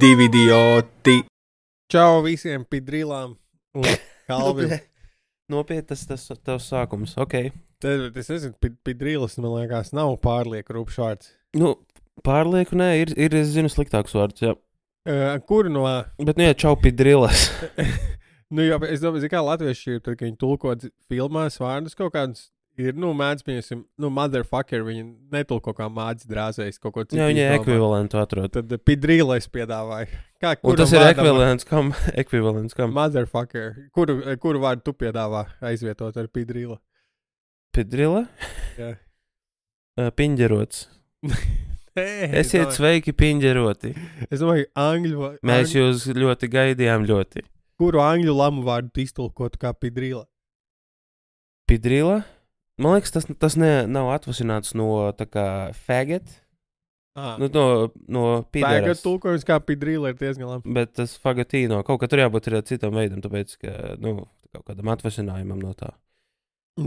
Divi idioti. Čau visiem pidrilām un kalvim. Nopietni tas tavs sākums, ok. Es nezinu, pidrilas, man liekas, nav pārlieku rūpšs vārds. Nu, pārlieku nē, ir es zinu sliktāks vārds, jā. Kuru no... Bet nu, jā, čau pidrilas. Nu, jā, es domāju, kā latvieši ir, tad, kad viņi tulko filmās vārdus kaut kādus, ir, mēdz, piemēram, motherfucker, viņi netulko kā mācis drāzējis kaut ko citu. Jā, viņi ekvivalentu atrod. Tad pidrilais piedāvāja. Un tas ir ekvivalents kam? Motherfucker. Kuru vārdu tu piedāvā aizvietot ar pidrila? Pidrila? Jā. Piņģerots. Nē, Esiet sveiki piņģeroti. Es domāju, angļu... Mēs jūs ļoti gaidījām ļoti. Kuru angļu lamu vārdu iztulkotu kā pidrila? Pidrila? Man liekas, tas nav atvasināts no tā kā faggot. Nu, no pideras. Faggot tulkojums kā pidrila ir diezgan labi. Bet tas fagotino, kaut kā tur jābūt ir citam veidam, tāpēc, ka, kaut kādam atvasinājumam no tā.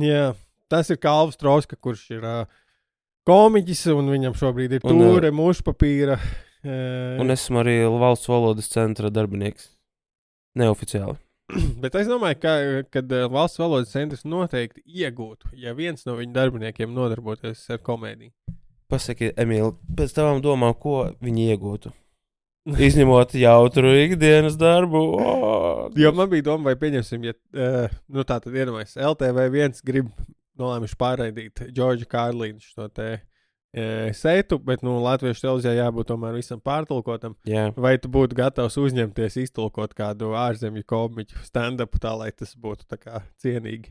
Jā, tas ir Kalvs Troska, kurš ir komiķis, un viņam šobrīd ir tūre, mušpapīra. Un esmu arī valsts valodas centra darbinieks. Neoficiāli. Bet es domāju, kad valsts valodas centrs noteikti iegūtu, ja viens no viņu darbiniekiem nodarboties ar komēdiju. Pasaki, Emīl, pēc tavām domām, ko viņi iegūtu? Izņemot jautru ikdienas darbu. Jo man bija doma, vai pieņemsim, ja tā tad iedomājas, LTV1 grib nolēmuši pārraidīt Džordžu Kārlīnu šo te seitu, bet latviešu televīzijā jābūt tomēr visam pārtulkotam. Jā. Vai tu būtu gatavs uzņemties iztulkot kādu ārzemju komiķu stand-upu tā, lai tas būtu tā kā cienīgi?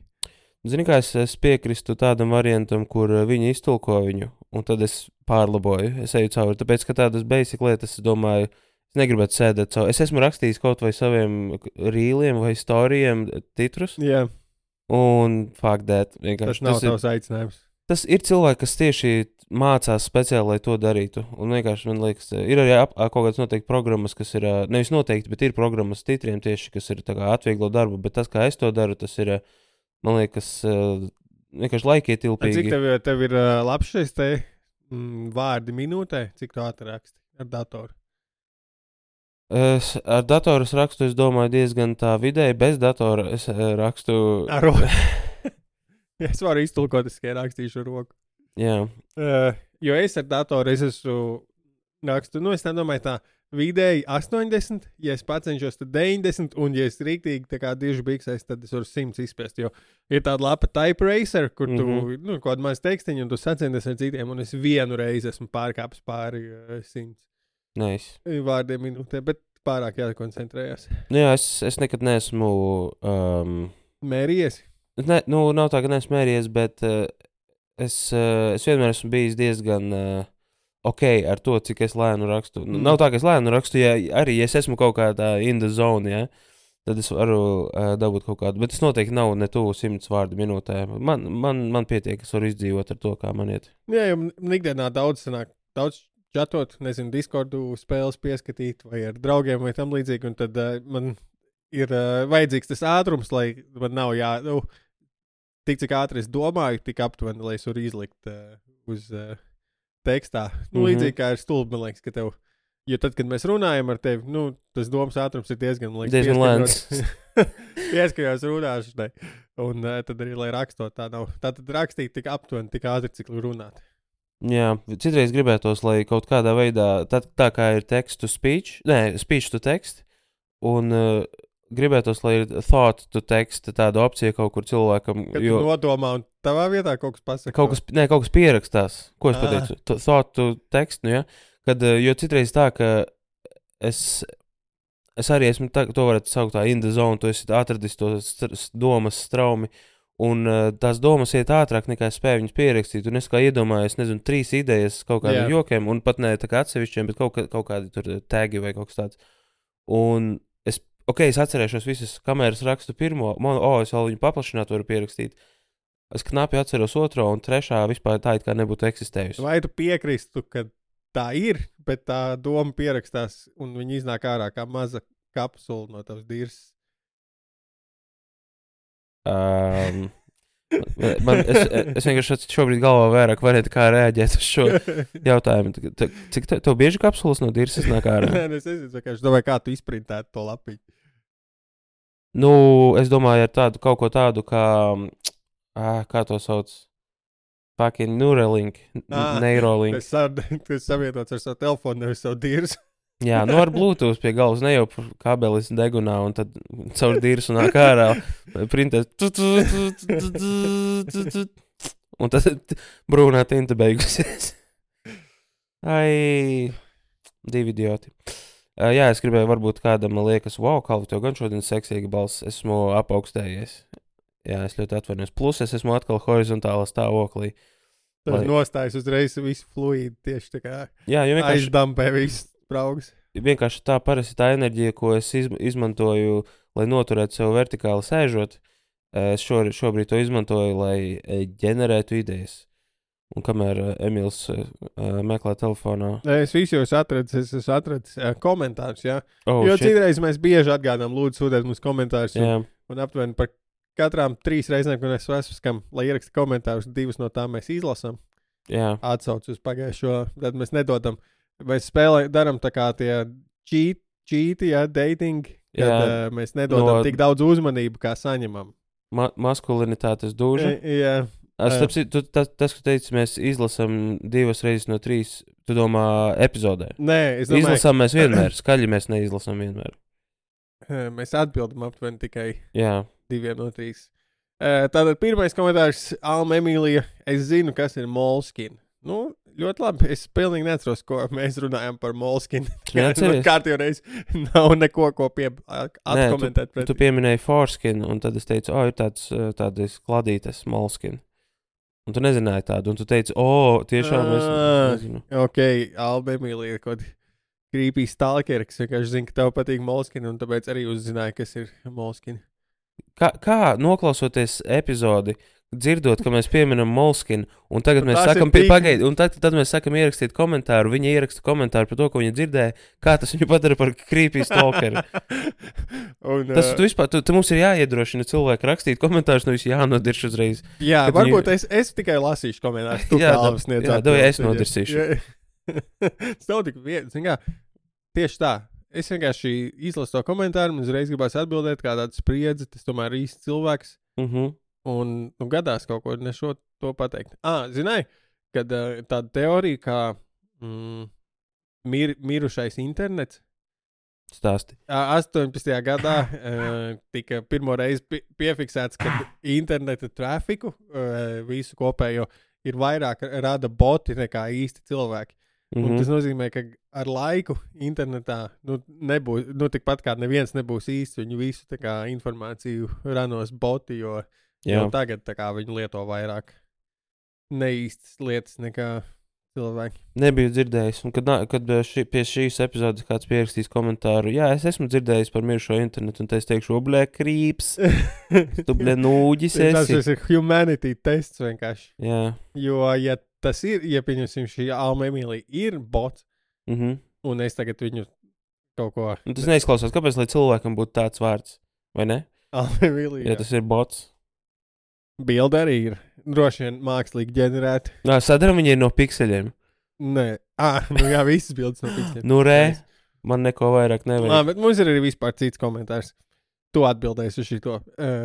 Zini, kā es piekristu tādam variantam, kur viņi iztulko viņu, un tad es pārlaboju, es eju cauri, tāpēc, ka tādas basic lietas, es domāju, es negribētu sēdēt cauri. Es esmu rakstījis kaut vai saviem rīliem vai storijiem titrus, Jā. Un fuck that. Tas nav tavs aicinājums. Tas ir cilvēki, kas tieši mācās speciāli, lai to darītu, un vienkārši, man liekas, ir arī kaut kādas noteikti programmas, kas ir, nevis noteikti, bet ir programmas titriem tieši, kas ir tā kā atvieglo darbu, bet tas, kā es to daru, tas ir, man liekas, vienkārši laikietilpīgi. Cik tev ir labs šis te vārdi minūtē? Cik tu atraksti ar datoru? Ar datoru es rakstu, es domāju, diezgan tā vidēji. Bez datora es rakstu... Ar roku. Es varu iztulkot, es tikai rakstīšu ar roku. Jā. Jo es ar datoru esmu rakstu, es nedomāju tā, vidēji 80, ja es pacenšos, tad 90, un ja es rīktīgi tā kā diži biksēs, tad es varu 100 izspiest, jo ir tāda lapa Type Racer, kur tu, kaut kādu maz tekstiņu, un tu sacenties ar citiem, un es vienu reizi esmu pārkāpis pāri 100 Nice. Vārdiem minūtē, bet pārāk jākoncentrējas. Jā, es nekad neesmu... Mērījies? Nav tā, ka neesmu mērījies, bet es vienmēr esmu bijis diezgan... ok ar to, cik es lēnu rakstu. Nav tā, ka es lēnu rakstu, ja es esmu kaut kādā in the zone, ja, tad es varu dabūt kaut kādu, bet tas noteikti nav ne tuvu 100 vārdu minūtē. Man pietiek, es varu izdzīvot ar to, kā man iet. Jā, jo ikdienā daudz čatot, nezinu, Discordu spēles pieskatīt vai ar draugiem vai tam līdzīgi, un tad man ir vajadzīgs tas ātrums, lai man nav tik cik ātri es domāju, tik aptuveni, lai es varu izlikt uz... tekstā. Līdzīgi kā ir stulbi, man liekas, ka tev, jo tad, kad mēs runājam ar tevi, tas domas ātrums ir diezgan lēns. Pieskajos runāšanai. Un tad arī, lai rakstot, tā nav. Tātad rakstīt tik aptuveni, tik ātri, cik runāt. Jā, citreiz gribētos, lai kaut kādā veidā, tā kā ir text to speech, speech to text, un gribētos, lai ir thought to text, tāda opcija kaut kur cilvēkam. Kad tu nodomā un tavā vietā kaut kas pasaka? Kaut kas pierakstās. Ko es pateicu? Thought to text, ja? Jo citreiz tā, ka es arī esmu, to varētu saukt tā in the zone, tu esi atradis to domas straumi, un tās domas iet ātrāk nekā es spēju viņas pierakstīt, un es kā iedomājos, 3 idejas kaut kādiem jokiem, un pat ne tā kā atsevišķiem, bet kaut kādi tur tagi vai kaut kas tāds. Un es atcerēšos visas kameras rakstu pirmo, es vēl viņu paplašināt varu pierakstīt. Es knapi atceros otro un trešā vispār tā it kā nebūtu eksistējusi. Vai tu piekristu, ka tā ir, bet tā doma pierakstās un viņi iznāk ārā kā maza kapsula no tavas dirses? Es vienkārši šobrīd galvā vairāk varētu kā reaģēt uz šo jautājumu. Cik tev bieži kapsulas no dirses nāk ārā? Nē, es nezinu, vienkārši domāju, kā tu izprintētu to lapiņu. Nu, es domāju, ar tādu kaut ko tādu, kā to sauc? Fucking Neuralink. Neuralink. Tas savienots ar savu telefonu, nevis savu dirsu. Jā, nu ar Bluetooth pie galvas, ne jau kabelis degunā, un tad caur dirsu nāk ārā, printēs. Un tad brūnā tinta beigusies. Ai, divi idioti. Jā, es gribēju, varbūt kādam liekas, wow, Kalvi, tev gan šodien seksīga balss, esmu apaugstējies. Jā, es ļoti atvainojos. Plus es esmu atkal horizontālā stāvoklī. Tas nostājas uzreiz visu fluīdu, tieši tā kā jā, aizdampē visu spraugas. Vienkārši tā parasti tā enerģija, ko es izmantoju, lai noturētu sev vertikāli sēžot, es šobrīd to izmantoju, lai ģenerētu idejas. Un kamēr Emīls meklē telefonā... Es visu jau esmu atradis komentārus, jā. Jo citreiz mēs bieži atgādām, lūdzu, sūtēt mums komentārus. Un aptuveni par katrām 3 reizēm, kad mēs esam, lai ieraksta komentārus, 2 no tām mēs izlasām. Jā. Atsauc uz pagājušo, tad mēs nedodam. Mēs darām tā kā tie cheati, dating, kad mēs nedodam tik daudz uzmanību, kā saņemam. Maskulinitātes dūža. Jā. Tas, ka teici, mēs izlasām 2 reizes no 3, tu domā epizodē? Nē, es domāju. Izlasām mēs vienmēr, skaļi mēs neizlasām vienmēr. Mēs atbildam aptuveni tikai 2 no 3. Tātad pirmais komentārs Alma Emīlija. Es zinu, kas ir Moleskine. Nu, ļoti labi. Es pilnīgi neatceros, ko mēs runājam par Moleskine. Kārtīgi reiz nav neko, ko atkomentēt. Nē, tu pieminēji Foreskin, un tad es teicu, ir tādas kladītes Moleskine. Un tu nezināji tādu, un tu teici, tiešām es nezinu. Ok, Alba Emīlija, kaut creepy stalker, kas vienkārši zina, ka tev patīk Moleskine, un tāpēc arī uzzināja, kas ir Moleskine. Kā noklausoties epizodi, dzirdot, ka mēs pieminam Moleskine, un tagad mēs sakam, pagaidi, un tad mēs sakam ierakstīt komentāru, viņa ieraksta komentāru par to, ko viņa dzirdēja, kā tas viņu padara par creepy stalkeri. Tas tu vispār, tu mums ir jāiedrošina cilvēku rakstīt komentārus, nevis jānodirš uzreiz. Jā, varbūt es tikai lasīšu komentārus, tu Kalvis sniedz atbildes. Jā, es nodirsīšu. Tas nav tik viens, tieši tā. Es vienkārši izlasu to komentāru, un uzreiz gribās atbildēt, kā tāda spriedze, tas tomēr ir īsts cilvēks. Un gadās kaut ko nešo to pateikt. Zināji, kad tāda teorija kā mirušais internets. Stāsti. 18. gadā tika pirmo reizi piefiksēts, ka interneta trafiku visu kopējo ir vairāk rada boti nekā īsti cilvēki. Un tas nozīmē, ka ar laiku internetā nebūs, tikpat kā neviens nebūs īsts, viņu visu tā kā informāciju ranos boti, jo tagad tā kā viņi lieto vairāk neīstas lietas nekā cilvēki. Nebiju dzirdējis, un kad pie šīs epizodes kāds pierakstīs komentāru, es esmu dzirdējis par mirušo internetu, un es teikšu, krīps, tu nūģis esi. Tas ir humanity tests vienkārši. Jā. Jo, ja tas ir, ja pieņemsim šī Alma Emīlija ir bots, un es tagad viņu kaut ko... Un tas neizklausās, kāpēc, lai cilvēkam būtu tāds vārds, vai ne? Alma Emīlija. Ja tas ir bots. Bilde arī ir droši vien mākslīgi ģenerēta. Sadaram viņi ir no pikseļiem. Nē, visas bildes no pikseļiem. Man neko vairāk nevajag. Bet mums ir arī vispār cits komentārs. Tu atbildēsi uz šito.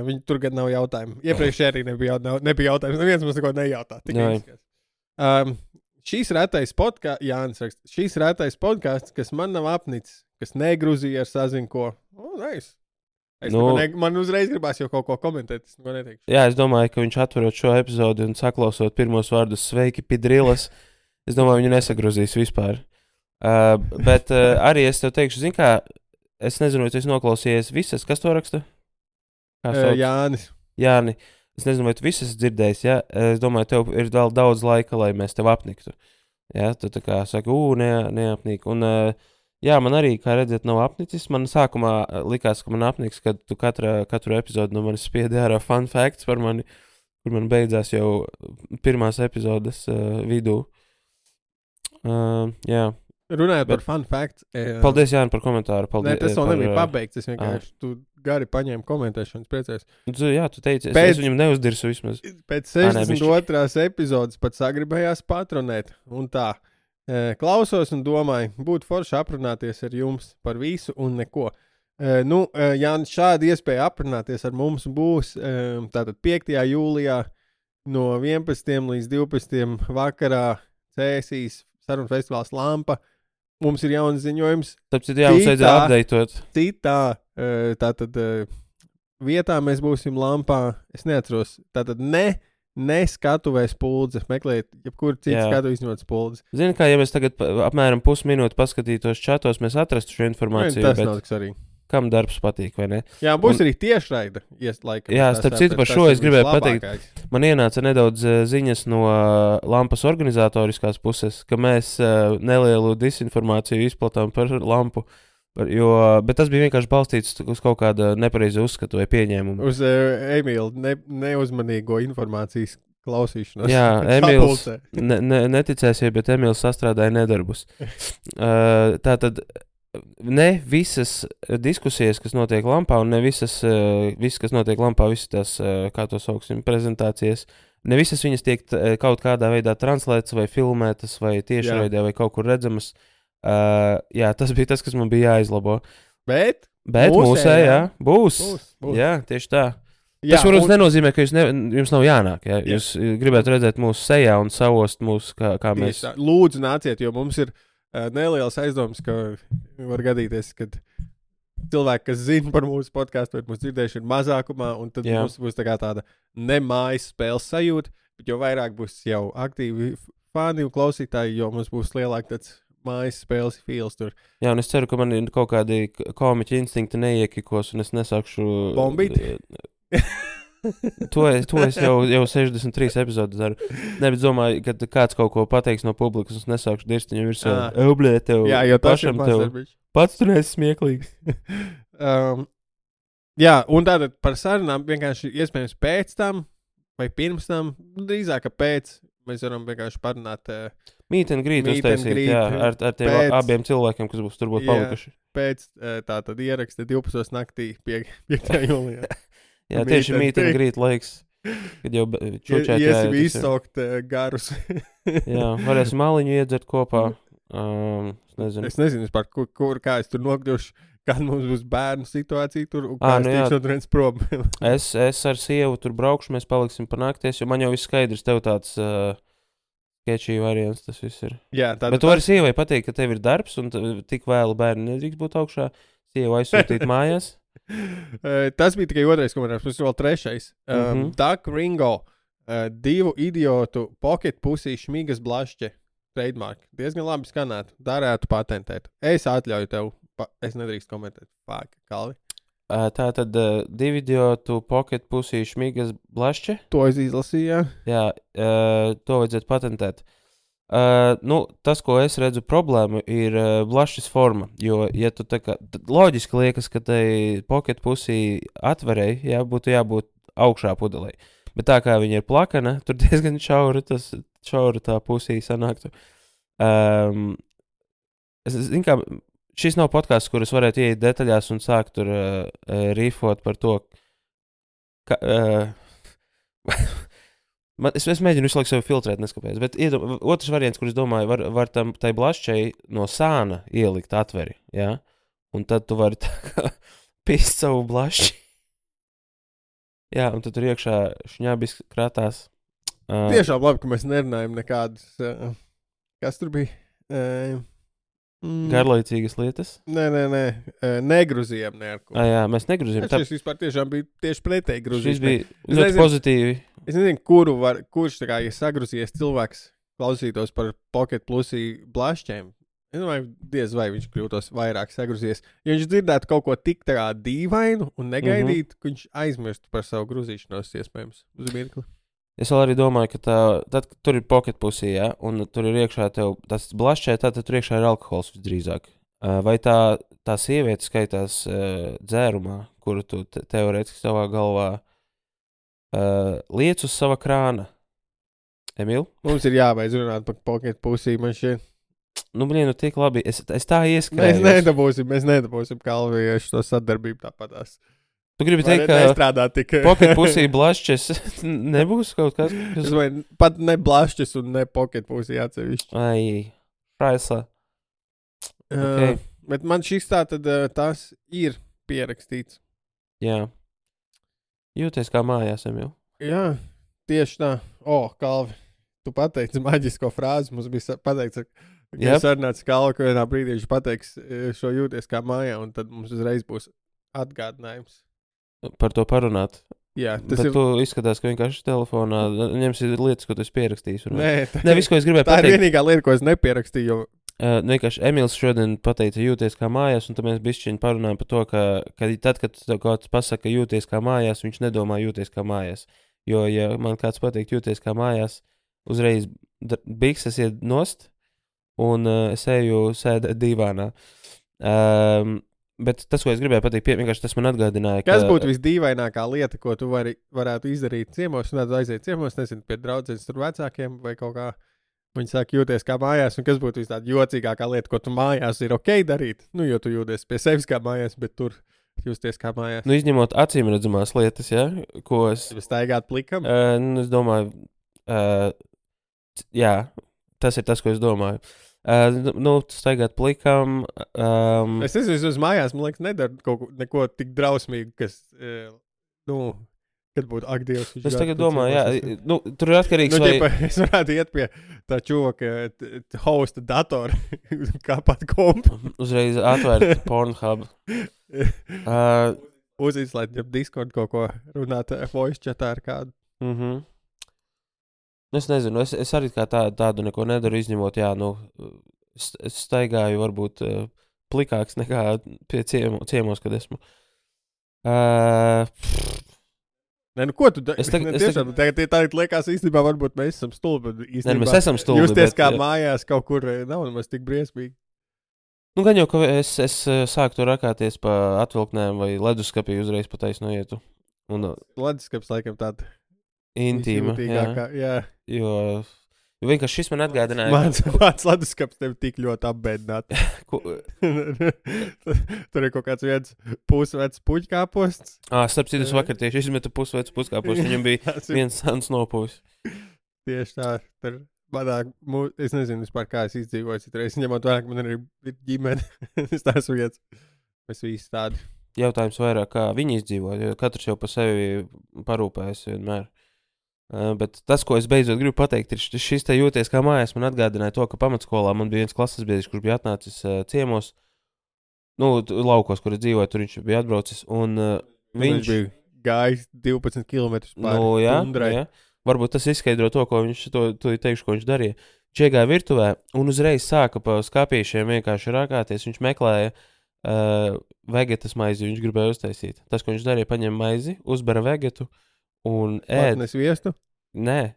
Viņi tur gan nav jautājumu. Iepriekš arī nebija jautājums. Neviens mums neko nejautā. Šīs retais podkāsts, Jānis raksta, šīs retais podkāsts, kas man nav apnicis, kas negrūzīja ar sazinko. Nice. Man uzreiz gribās jau kaut ko komentēt. Es domāju, ka viņš atverot šo epizodi un saklausot pirmos vārdus sveiki, pidrilas, es domāju, viņu nesagrozīs vispār. Bet arī es tev teikšu, zin kā, es nezinu, vai tu esi noklausījies visas, kas to raksta? Jāni. Es nezinu, vai tu visas dzirdējis, Es domāju, tev ir vēl daudz laika, lai mēs tev apniktu. Tu tā kā saki, neapnīk. Un, man arī, kā redzēt, nav apnicis. Man sākumā likās, ka man apniks, kad tu katru epizodu no manis spiedi ārā fun facts par mani, kur man beidzās jau pirmās epizodes vidū. Runājot par fun facts. Paldies, Jāni, par komentāru. Paldies, tas vēl nebija pabeigts. Es vienkārši tu gari paņēmu komentēšanas priecājos. Jā, tu teici, es viņam neuzdirsu vismaz. Pēc 62. epizodes pat sagribējās patronēt. Un tā, klausos un domāju, būtu forši aprunāties ar jums par visu un neko. Ja šāda iespēja aprunāties ar mums būs tātad 5. jūlijā no 11. līdz 12. vakarā Cēsīs sarunu festivāls Lampa. Mums ir jauns ziņojums. Tāpēc mums vajadzēja updatēt. Citā tātad vietā mēs būsim Lampā. Es neatceros. Tātad ne skatuvēs Spuldze. Meklējiet, jebkuru citu skatu izņemot Spuldzi. Zini, kā ja mēs tagad apmēram pusminūti paskatītos čatos, mēs atrastu šo informāciju. Tas nav tik svarīgi. Kam darbs patīk, vai ne? Jā, būs arī tiešraida. Jā, starp citu par šo es gribēju pateikt. Man ienāca nedaudz ziņas no Lampas organizatoriskās puses, ka mēs nelielu disinformāciju izplatām par Lampu. Bet tas bija vienkārši balstīts uz kaut kāda nepareiza uzskatu vai pieņēmumu. Uz Emīla neuzmanīgo informācijas klausīšanos. Jā, Emīls neticēsies, bet Emīls sastrādāja nedarbus. Tātad ne visas diskusijas, kas notiek Lampā, un ne viss, kas notiek Lampā, visas tās, kā to sauksim, prezentācijas, ne visas viņas tiek kaut kādā veidā translētas vai filmētas vai tiešraidē vai kaut kur redzamas. Jā, tas bija tas, kas man bija jāizlabo. Bet mūsējā būs. Jā, tieši tā. Jā, tas, protams, nenozīmē, ka jums nav jānāk. Ja? Jūs gribētu redzēt mūsu sejā un savost mūsu, kā mēs. Lūdzu, nāciet, jo mums ir neliels aizdoms, ka var gadīties, kad cilvēki, kas zina par mūsu podcastu, vai mūsu dzirdējuši, ir mazākumā, un tad mums būs tāda nemājas spēles sajūta, bet jo vairāk būs jau aktīvi fani un klausītāji, jo mums būs lielāk tāds mājas spēles feels tur. Jā, un es ceru, ka man kaut kādi komiķi instinkti neiekikos, un es nesākšu bombīt. To es jau 63 epizodes daru. Nevis domāju, ka kāds kaut ko pateiks no publikas, un es nesākšu dirst viņam virsū. Eblē, tev jā, jo pašam tev. Pats tu neesi smieklīgs. Jā, un tātad par sarunām vienkārši iespējams pēc tam, vai pirms tam, drīzāk, ka pēc, mēs varam vienkārši parunāt. Meet and greet uztaisīt, jā, ar tiem abiem cilvēkiem, kas būs tur būt palikuši. Pēc tātad ieraksta 12. naktī 5. jūlijā. Jā, tieši meet and greet laiks, kad jau čučēt iesim izsaukt garus. Jā, varēsim maliņu iedzert kopā. Es nezinu vispār, kā es tur nokļušu, kad mums būs bērnu situācija tur, un kā es tikšu turens prom. Es ar sievu tur braukšu, mēs paliksim pa nakties, jo man jau viss skaidrs, tev tāds sketchy variants tas viss ir. Jā, bet tu vari sievai pateikt, ka tev ir darbs, un tik vēlu bērni nedrīkst būt augšā, sievu aizsūtīt mājās. Tas bija tikai otrais komentārs, mums ir vēl trešais. Duck Ringo, 2 idiotu pocket pusī šmigas blašķe, trademark. Diezgan labi skanētu, darētu patentēt. Es atļauju tev, es nedrīkst komentēt. Fuck, Kalvi. Tātad 2 idiotu pocket pusī šmigas blašķe? To es izlasīju, jā. To vajadzētu patentēt. Tas, ko es redzu problēmu, ir blašķis forma, jo, ja tu tā kā, loģiski liekas, ka tai pocket pusī atverēji, jā, būtu jābūt augšā pudelē, bet tā kā viņa ir plakana, tur diezgan šaura tā pusī sanāktu. Zinu, kā, šis nav podcasts, kur es varētu ieiet detaļās un sākt tur rifot par to, ka... Es mēģinu visu laiku sevi filtrēt, neskapēc, bet otrs variants, kur es domāju, var tai blašķai no sāna ielikt atveri, jā? Un tad tu vari tā kā pist savu blašķi. Jā, un tad tur iekšā šņabis kratās. Tiešām labi, ka mēs nerunājam nekādas, kas tur bija? Garlaicīgas lietas? Nē, negruzījām neko. Jā, mēs negruzījām. Šis vispār tiešām bija tieši pretēji gruzījums. Šis bija ļoti pozitīvi. Es nezinu, kurš tā kā, ja sagruzījies cilvēks klausītos par Pocket Plusī blašķiem. Es domāju, diez vai viņš kļūtos vairāk sagruzījies. Ja viņš dzirdētu kaut ko tik tā kā dīvainu un negaidītu, ka viņš aizmirstu par savu gruzīšanos iespējams uz mirkli. Es vēl arī domāju, ka tad, kad tur ir Pocket Pusī, ja, un tur ir iekšā tev tas blašķē, tad tur iekšā ir alkohols visdrīzāk. Vai tā sieviete skaitās dzērumā, kuru tu teorētiski savā galvā liec uz sava krāna? Emīl? Mums ir jābeidz runāt par Pocket Pusī, man šķiet. tik labi. Es tā Mēs ieskrēju. nedabūsim kalviešu to sadarbību tāpatās. Tu gribi teikt, ka nestrādā tik... pocket pusī blašķis nebūs kaut kas? Pat ne blašķis un ne pocket pusī atsevišķi. Ai, Fraisla. Okay. Bet man šis tā tad tas ir pierakstīts. Jā. Jūties kā mājās, jau. Jā, tieši tā. Kalvi, tu pateici maģisko frāzi. Mums bija pateikts, ka sarunāts Kalvi, ka vienā brīdī viņš pateiks šo jūties kā mājā, un tad mums uzreiz būs atgādinājums. Par to parunāt. Jā, tas ir. Tu izskatās, ka vienkārši telefonā ņemsi lietas, ko tu esi pierakstījis. Nē, viss, ko es gribēju pateikt. Tā ir vienīgā lieta, ko es nepieраkstīju. Vienkārši Emīls šodien pateica jūties kā mājās, un tad mēs bišķiņi parunājam par to, ka tad, kad tev kāds pasaka jūties kā mājās, viņš nedomā jūties kā mājās. Jo, ja man kāds pateikt jūties kā mājās, uzreiz bikses iet nost, un es eju sēdēt divānā. Bet tas, ko es gribēju pateikt, vienkārši tas man atgādināja, Kas būtu visdīvainākā lieta, ko tu varētu izdarīt ciemos, un tad aiziet ciemos, nezinu, pie draudzenes tur vecākiem vai kaut kā. Viņi saka, jūties kā mājās, un kas būtu tāda jocīgākā lieta, ko tu mājās ir ok darīt? Jo tu jūties pie sevis kā mājās, bet tur justies kā mājās. Izņemot acīm redzamās lietas, ja, ko es... Staigāt plikam? Es domāju, jā, tas ir tas, ko es domāju. Staigāt plikam. Es nezinu, uz mājās, man liekas, nedara neko tik drausmīgu, kas, kad būtu Dievs. Es tagad domāju, jā, tur ir atkarīgs, es varētu iet pie tā čuvaka hosta datora, kāpat kompu. Uzreiz atvērt Pornhub. Uzizslēgt, ja Discord kaut ko runāt voice chatā ar kādu. Es nezinu, es arī kā tādu neko nedaru, izņemot, es staigāju varbūt plikāks nekā pie ciemos, kad esmu. Ko tu dari? Tagad liekas īstenībā, varbūt mēs esam stulbi. Mēs esam stulbi. Justies kā mājās kaut kur nav nemaz tik briesmīgi. Gan jau, ka es sāku to rakāties pa atvilknēm vai leduskapī uzreiz pa taisno ietu. Leduskaps laikam tāda intīma, jā. Jo vienkārši šis man atgādināja. Mans leduskaps tevi tik ļoti apbēdināt. Tur ir kaut kāds viens pusvecs puķkāposts. Starp citu, es vakar tieši izmetu pusvecu puķkāpostu. Viņam bija viens sans nopūs. Tieši tā. Tur es nezinu vispār, kā es izdzīvoju citreiz. Ņemot vairāk, man ir ģimene. Es tās vietas. Mēs visi tādi. Jautājums vairāk, kā viņi izdzīvo, jo katrs jau pa sevi parūpējas vienmēr. Bet tas, ko es beidzot gribu pateikt, ir šis te jūties kā mājās. Man atgādināja to, ka pamatskolā man bija viens klases biedrs, kurš bija atnācis ciemos, laukos, kur es dzīvoju, tur viņš bija atbraucis, un viņš bija gājis 12 km pāri tundrai. Jā. Varbūt tas izskaidro to, ko viņš teikšu, ko viņš darīja. Viņš iegāja virtuvē un uzreiz sāka pa skāpīšiem vienkārši rakāties. Viņš meklēja vegetas maizi, viņš gribēja uztaisīt. Tas, ko viņš darīja, paņem maizi, uzbera vegetu un ēd. Patnes viestu? Nē.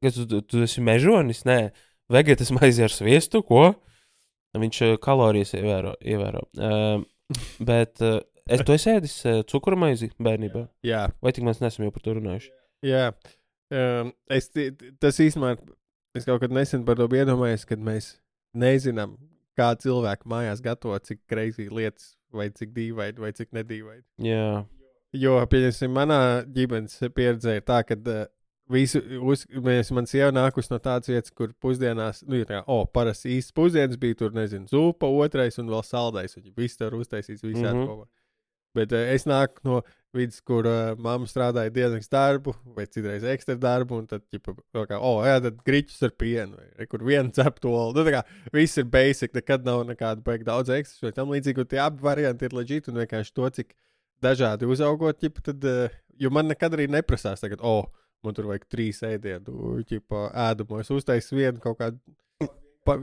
Tu esi mežonis? Nē. Vegetas maizi ar sviestu, ko? Viņš kalorijas ievēro. Bet tu esi ēdis cukuru maizi bērnībā? Jā. Vai tik mēs nesam jau par to runājuši? Jā. Tas īstenībā, es kaut kad nesen par to biju iedomājies, kad mēs nezinām, kā cilvēki mājās gatavo, cik crazy lietas, vai cik dīvaini, vai cik nedīvaini. Jā. Jo, pieņemsim, manā ģimenes pieredzē ir tā, ka man sieva nākus no tādas vietas, kur pusdienās, parasti īsts pusdienas bija tur, nezinu, zupa, otrais un vēl saldais, un viss tur uztaisīts visādi kopā. Bet es nāku no vidas, kur mamma strādāja dienas darbu, vai citreiz ekstra darbu, un tad, tad griķus ar pienu, vai kur vienu ceptolu. Viss ir basic, nekad nav nekāda baigi daudz ekstra, vai tam līdzīgi, un tie abi varianti ir legit, un vienkārši to, cik dažādi uzaugot, tad, jo man nekad arī neprasās tagad, man tur vajag 3 ēdienu, ēdamos, uztais vienu kaut kādu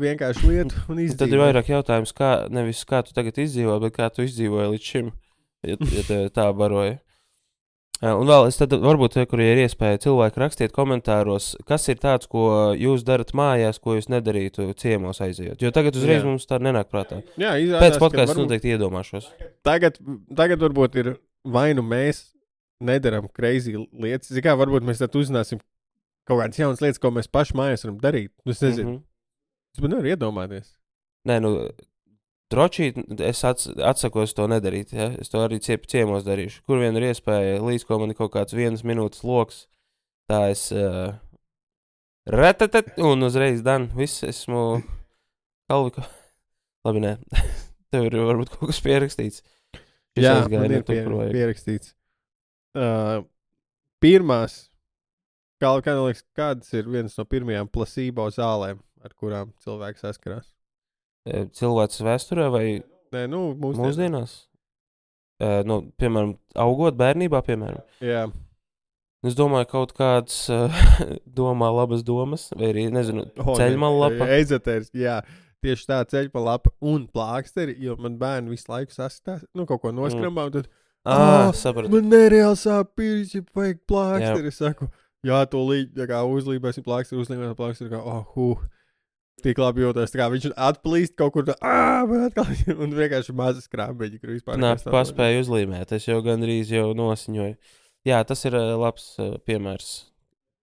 vienkārši lietu un izdzīvo. Tad ir vairāk jautājums, nevis kā tu tagad izdzīvo, bet kā tu izdzīvoji līdz šim. Ja tev tā baroja. Un vēl es tad varbūt, kur ir iespēja cilvēki rakstiet komentāros, kas ir tāds, ko jūs darat mājās, ko jūs nedarītu ciemos aizejot. Jo tagad uzreiz mums tā nenāk prātā. Jā, pēc podcasts noteikti iedomāšos. Tagad varbūt ir vai nu mēs nedaram crazy lietas. Kā varbūt mēs tad uzzināsim kaut kādas jaunas lietas, ko mēs paši mājās varam darīt. Es nezinu. Es man nevaru iedomāties. Nē, nu, drošīt, es atsakos to nedarīt. Ja? Es to arī ciemos darīšu. Kur vien ir iespēja, līdz ko man ir kaut kāds 1 minūtes loks, tā es retatet un uzreiz dan. Viss esmu kalvika. Labi, nē. Tev ir varbūt kaut kas pierakstīts. Jā, man ir pierakstīts. Pirmās, kādas ir vienas no pirmajām placebo zālēm, ar kurām cilvēki saskarās? Cilvēks vēsturē vai Nē, nu, mūsdienās? Nu, piemēram, augot bērnībā, piemēram. Jā. Es domāju, kaut kāds domā labas domas, vai arī, nezinu, ceļmalapa. Eizotērs, jā. Tieši tā ceļmalapa un plāksteri, jo man bērni visu laiku sasitās, nu, kaut ko noskrambā, un tad, sapratu. Man nereāli sāp pirks, ja vajag plāksteri. Es saku, jā, to uzlībēsim plāksteri, kā, tik labi jūtos, tā kā viņš atplīst kaut kur, man atkal, un vienkārši mazas krāmbeļi, kur vispār. Nā, paspēju uzlīmēt, es jau gandrīz jau nosiņoju. Jā, tas ir labs piemērs.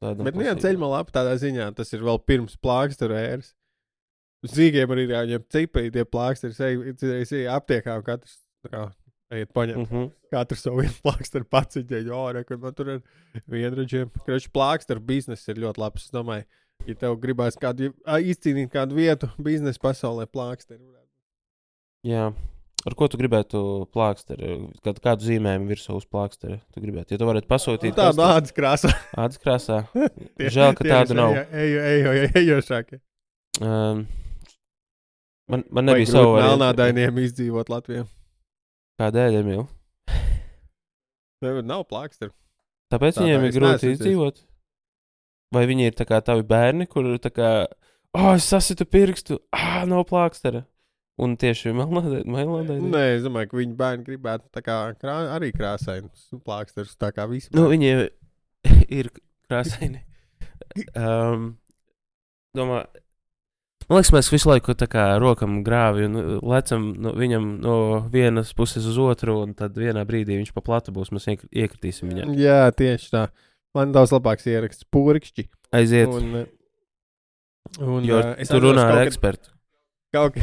Bet nu jā, ceļmalapa tādā ziņā, tas ir vēl pirms plāksteru ēras. Zīgiem arī jāņem cipēji, tie plāksteri, es aptiekā, un katrs, tā kā, ejiet paņemt. Katrs savu vienu plāksteru paciņķēju, kad man tur ir vienraģiem. Kroči, plāksteru biznes ir ļoti labs, es domāju, ja tev gribās izcīnīt kādu vietu biznesa pasaulē plāksteri. Jā. Ar ko tu gribētu plāksteri? Kādu zīmējumu virsū uz plāksteri tu gribētu? Ja tu varētu pasūtīt tādu ādas krāsā. Ādas krāsā? Žēl, ka tādu nav. Ejošākie. Man nebija savu variantu. Melnādainiem izdzīvot Latvijā. Kādēļ, Emīl? Nav plāksteri. Tāpēc viņiem ir grūti izdzīvot? Vai viņi ir tā kā tavi bērni, kur tā kā, es sasitu pirkstu, nav plākstera? Un tieši melnādaini? Nē, es domāju, ka viņi bērni gribētu tā kā arī krāsainus plāksterus, tā kā visi. Nu, viņi ir krāsaini. Man liekas, mēs visu laiku tā kā rokam grāvi un lecam viņam no vienas puses uz otru, un tad vienā brīdī viņš pa platu būs, mēs iekritīsim viņam. Jā, tieši tā. Man daudz labāks ieraksts purkšķi. Aiziet. Jo tu runā ar ekspertu. Kaut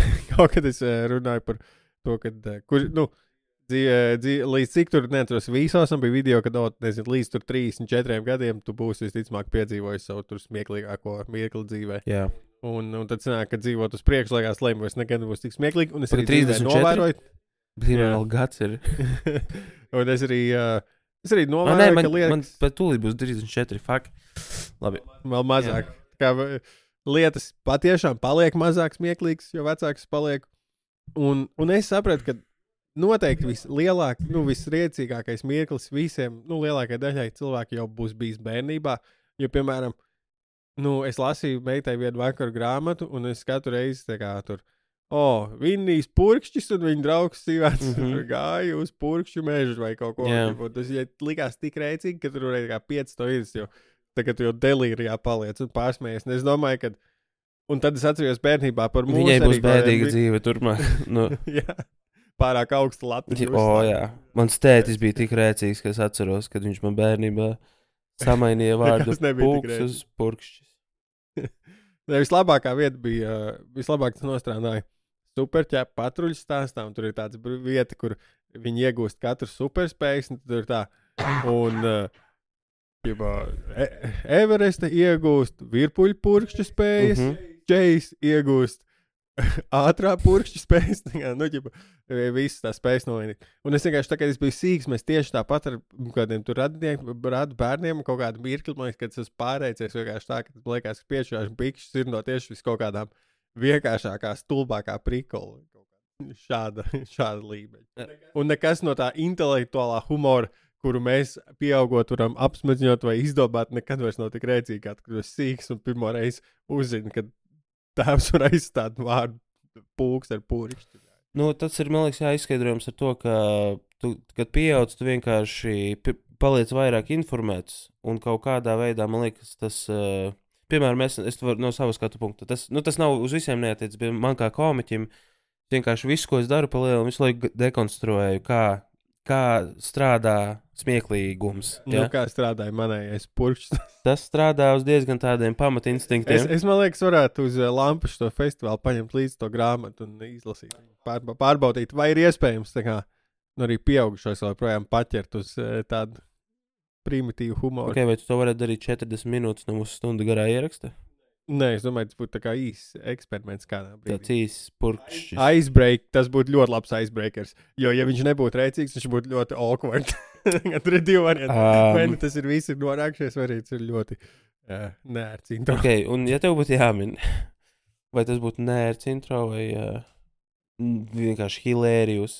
kad es runāju par to, līdz cik tur neatceros visos, un bija video, kad, līdz tur 34 gadiem tu būsi visticamāk piedzīvojis savu tur smieklīgāko mirkli dzīvē. Jā. Un tad sanāk, ka dzīvot uz priekšu, liekas, lēm vairs nekad nebūs tik smieklīgi, un es arī 34? Novēroju. Vēl gads ir. Un es arī novēroju, ka liekas... Man pat tūlīt būs 34, fuck. Labi. Vēl mazāk. Kā lietas patiešām paliek mazāk smieklīgas, jo vecāks paliek. Un es sapratu, ka noteikti visriecīgākais mirklis visiem, lielākajai daļai cilvēki jau būs bijis bērnībā. Jo, piemēram, es lasīju meitai vienu vakaru grāmatu, un es katru reizi tā kā tur, Vinnijs purkšķis, un viņa draugs Sīvēts gāja uz purkšķu mežu vai kaut ko. Tas likās tik rēcīgi, ka tur varēja kā 5 stundas, jo tagad tu jau delīrijā paliec un pārsmējies. Un es domāju, ka... Un tad es atceros bērnībā par mūsu... Viņai būs bēdīga dzīve turpmāk. Jā, pārāk augsta Latvijas. Jā. Mans tētis bija tik rēcīgs, ka es atceros, kad viņš man bērnībā samainīja vārdu pūks uz purkšķis. Vislabākā vieta bija... Vislabāk tas nostrādāja superķēpa patruļas stāstā, un tur ir tāds vieta, kur viņi iegūst katru superspējas, un tur ir tā... Un... Everesta iegūst virpuļu purkšķu spējas, Džejs iegūst ātrā purkšķu spējas, visas tās spējas nolīnīt. Un es vienkārši, tā kā es biju sīgs, mēs tieši tāpat ar kādiem tur radu bērniem kaut kādu mirkli, man liekas, kad es pārēcies vienkārši tā, ka liekas, ka piešķirāšu pikšķus ir no tieši vis kaut kādām vienkāršākā, stulbākā prikola. Šāda līmeņa. Un nekas no tā intelektuālā humora, kuru mēs pieaugot varam apsmadziņot vai izdomāt, nekad vairs nav tik rēcīgi, kad tu esi sīks un pirmo reizi uzzini, ka tēvs var aizstāt vārdu pūks ar pūrišķi. Tas ir, man liekas, jāizskaidrojums ar to, ka tu, kad pieaudz, tu vienkārši paliec vairāk informēts, un kaut kādā veidā, man liekas, tas, piemēram, es varu no savas skatu punkta, tas nav uz visiem neatiec, bet man kā komiķim, vienkārši visu, ko es daru pa lielu, visu laiku dekonstruēju, kā strādā smieklīgums. Nu, Ja? kā strādāja manējais purkšs. Tas strādā uz diezgan tādiem pamatinstinktīviem. Es man liekas, varētu uz Lampas to festivālu paņemt līdzi to grāmatu un izlasīt. Pārbaudīt, vai ir iespējams tā kā, nu, arī pieaugušos vēl projām paķert uz tādu primitīvu humoru. Okay, vai tu to varētu darīt 40 minūtes no mūsu stundu garā ieraksta? Nē, es domāju, tas būtu tā kā īsts eksperiments kādā brīdī. Tāds īsts purkšs. Icebreak, tas būtu ļoti labs icebreakers. Jo, ja viņš nebūtu rēcīgs, viņš būtu ļoti awkward. Tur ir divi varianti. Vai nu tas ir visi norākšies, vai arī tas ir ļoti nērts intro. Okay, un ja tev būtu jāmin, vai tas būtu nērts intro vai vienkārši hilērijus,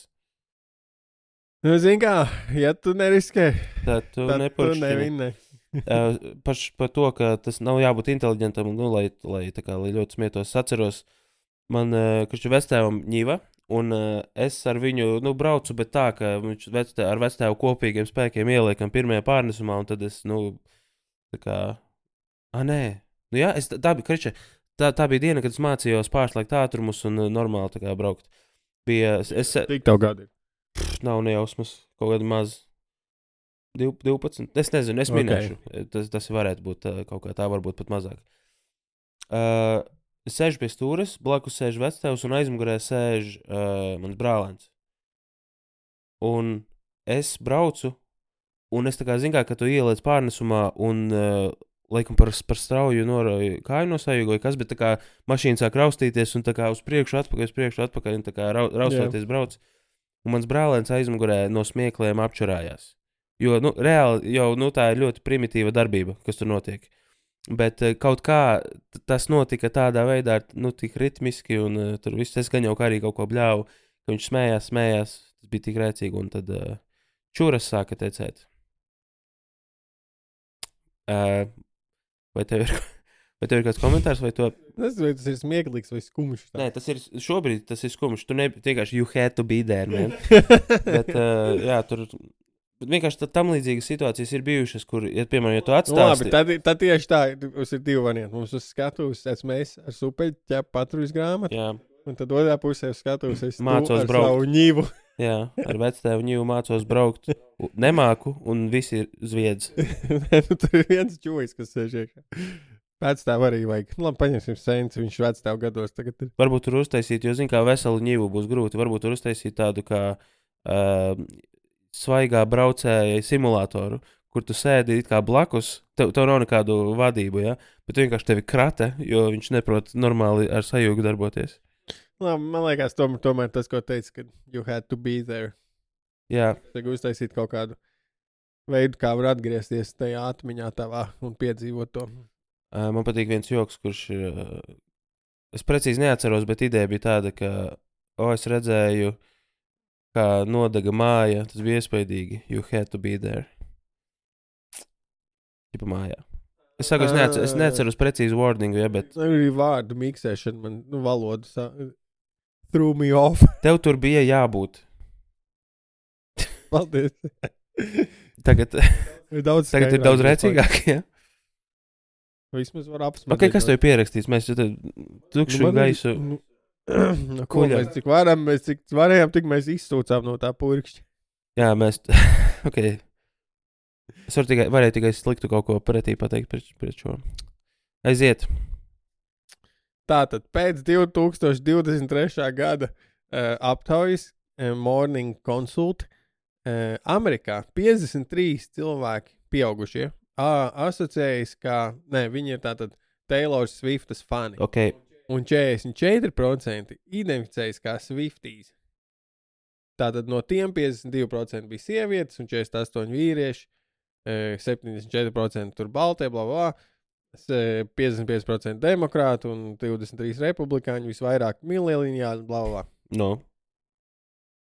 Nu, zini kā, ja tu neriskē, tad tu tad tu nepurkšķini. nevinē. Par to, ka tas nav jābūt inteliģentam, nu, lai ļoti smietos atceros. Man Krišķu vectēvam ņiva, un es ar viņu braucu, bet tā, ka viņš ar vectēvu kopīgiem spēkiem ieliekam pirmajā pārnesumā, un tad es, tā kā, nē. Nu jā, tā bija, Krišķa, tā bija diena, kad es mācījos pārslēgt ātrumus un normāli tā kā braukt. Tik tev gadi ir. Nav nejausmas, kaut kādi maz 12. Es nezinu, es minēšu. Tas varētu būt kaut kā tā, varbūt pat mazāk. Es sēžu pie stūres, blakus sēž vectēvs un aizmugurē sēž mans brālēns. Un es braucu, un es tā kā zinu, ka tu ieliec pārnesumā un laikam par strauju norauju kāju no sajūgu vai kas, bet tā kā mašīna sāk raustīties un tā kā uz priekšu atpakaļ un tā kā raustoties brauc. Un mans brālēns aizmugurē no smiekliem apčurājās. Jo, reāli, jau tā ir ļoti primitīva darbība, kas tur notiek. Bet kaut kā tas notika tādā veidā, tik ritmiski, un tur viss es gan jau kā arī kaut ko bļāvu, ka viņš smējās, tas bija tik rēcīgi, un tad čuras sāka tecēt. Vai tev ir kāds komentārs, vai to? Tas ir smieklīgs vai skumjš. Nē, šobrīd tas ir skumjš. Tu vienkārši you had to be there, man. Bet, jā, tur vienkārši tam līdzīgas situācijas ir bijušas, kur, piemēram, ja tu atstāsti. Labi, tad tieši tā, mums ir divi varianti. Mums uz skatuves mēs ar supeļu ķepu patruļas grāmatu. Jā. Un tad otrā pusē uz skatuves es mācos braukt. Savu ņīvu. Jā, ar vectēvu ņīvu mācos braukt. Nemāku, un visi ir zviedz. Tur ir viens čūjs, kas sēž iekšā. Vectēvu arī vajag. Labi, paņemsim sēnes, viņš vectēvu gados tagad ir. Varbūt tur uztaisīt, jo zin, kā veselu ņīvu būs grūti. Varbūt tur uztaisīt tādu kā svaigā braucēja simulātoru, kur tu sēdi it kā blakus. Tev nav nekādu vadību, ja? Bet vienkārši tevi krata, jo viņš neprot normāli ar sajūgu darboties. Labi, man liekas, tomēr tas, ko teica, ka you had to be there. Jā. Tagad uztaisīt kaut kādu veidu, kā var atgriezties tajā atmiņā tavā un piedzīvot to. Man patīk viens joks, kurš es precīzi neatceros, bet ideja bija tāda, ka es redzēju, kā nodega māja, tas bija iespaidīgi. You had to be there. Tipa mājā. Es saku, es neatceros precīzi wordingu, ja, bet... Arī vārdu miksēšana, man valodu threw me off. Tev tur bija jābūt. Paldies. Tagad ir daudz rēcīgāk, ja? Vismaz var apsmēt. Ok, kas tev ir pierakstīs? Mēs tukšu gaisu. Ko mēs cik varējām, tik mēs izsūcām no tā purkšķa. Jā, mēs... Ok. Es varēju tikai sliktu kaut ko pretī pateikt pret šo. Aiziet. Tātad, pēc 2023. gada aptaujas Morning Consult Amerikā 53 cilvēki pieaugušie asociējas, viņi ir tātad Taylor Swiftas fani. Okay. Un 44% identificējas kā Swifties. Tātad no tiem 52% bija sievietes un 48% vīrieši, 74% tur baltie, bla, bla, 55% demokrāti un 23% republikāņi, visvairāk mileniāļi, bla, bla. No.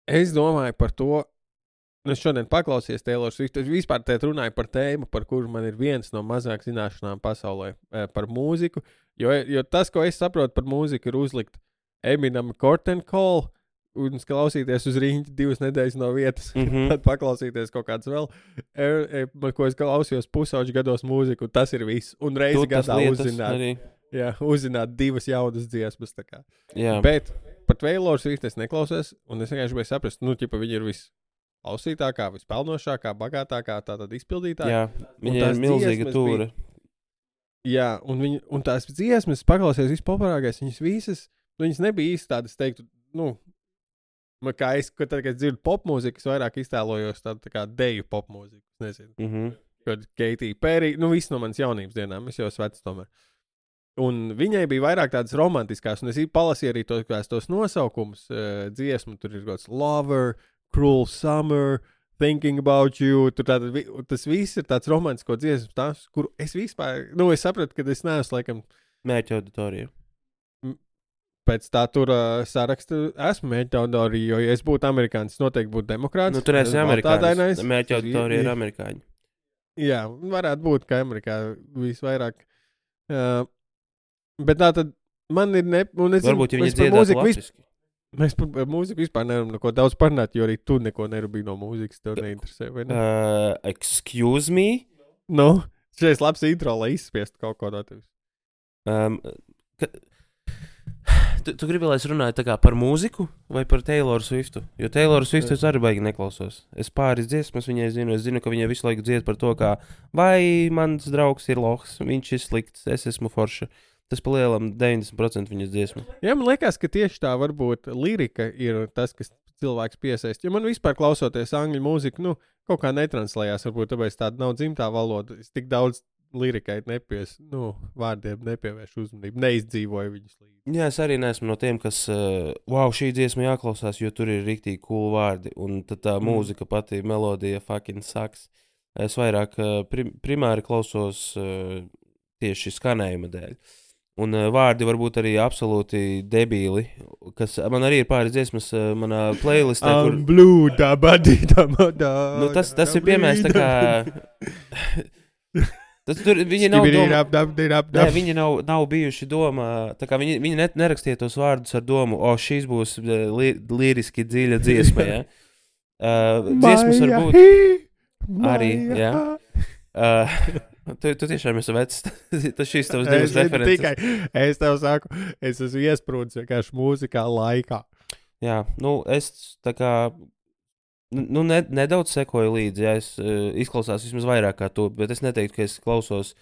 Es domāju par to, es šodien paklausījos Taylor Swift, es vispār te runāju par tēmu, par kuru man ir viens no mazāk zināšanām pasaulē par mūziku, jo tas, ko es saprotu par mūziku, ir uzlikt Eminem Curtain Call un klausīties uz riņķi 2 nedēļas no vietas, tad paklausīties kaut kāds vēl, ko es klausījos pusauģu gados mūziku, tas ir viss, un reizi gadā uzzināt 2 jaunas dziesmas, tā kā. Jā. Bet par Taylor Swift es neklausos, un es vienkārši gribēju saprast, ķipa, viņi ir viss viskausītākā, vispelnošākā, bagātākā, tātad izpildītāja. Jā, viņa ir milzīga tūra. Jā, un tās dziesmas, paklausies vispopulārākais, viņas nebija īsti tādas, teiktu, kā kad es dzirdu popmūziku, es vairāk iztēlojos tādu tā kā deju popmūziku, nezinu. Kad Keitija Perī, viss no manas jaunības dienām, es jau esmu vecs tomēr. Un viņai bija vairāk tādas romantiskās, un es palasīju arī tos nosaukumus dziesmu, tur ir kāds Lover, Cruel Summer, Thinking About You, tas viss ir tāds romantisko dziesmas, kur es vispār, es sapratu, ka es neesmu, laikam, mērķa auditorija. Pēc tā tur sarakstu esmu mērķa auditorija, jo, ja es būtu amerikānis, noteikti būtu demokrāts. Tur esi amerikānis, mērķa auditorija ir amerikāņi. Jā, varētu būt, ka Amerikā visvairāk. Bet tā tad man ir varbūt, ja viņi dziedātu latviski. Mēs par mūziku vispār nevaram neko daudz parunāt, jo arī tu neko nerūpīgi no mūzikas, tev neinteresē, vai ne? Excuse me? Šeit labs intro, lai izspiestu kaut ko no tevis. Tu gribi, lai es runāju tā kā par mūziku vai par Tayloru Swiftu? Jo Tayloru Swiftu es arī baigi neklausos. Es pāris dziesmas viņai zinu, es zinu, ka viņa visu laiku dzied par to, kā vai mans draugs ir lohs, viņš ir slikts, es esmu forša. Tas pa lielam 90% viņas dziesmu. Jā, man liekas, ka tieši tā varbūt lirika ir tas, kas cilvēks piesaist. Jo man vispār klausoties angļu mūziku, kaut kā netranslējās, varbūt tāpēc tāda nav dzimtā valoda. Es tik daudz lirikai vārdiem nepievēršu uzmanību, neizdzīvoju viņus līdzi. Jā, es arī neesmu no tiem, kas, šī dziesma jāklausās, jo tur ir riktīgi cool vārdi, un tad tā mūzika pati, melodija fucking sucks. Es vairāk primāri klausos tieši skanējuma dēļ. Un vārdi varbūt arī absolūti debīli, kas man arī ir pāris dziesmas manā playlistē, kur... Blue, da-ba-di-da-ba-da. Tas ir piemērs tā kā... Viņi nav bijuši domā, tā kā viņi nerakstīja tos vārdus ar domu, šīs būs liriski dziļa dziesma, ja? Dziesmas var būt arī, jā. Tu tiešām esi vecs, tas šīs tavas divas references. Es tev saku, es esmu iesprūdis vienkārši mūzikā laikā. Jā, es tā kā... nedaudz sekoju līdzi, ja es izklausās vismaz vairāk kā tu, bet es neteiktu, ka es klausos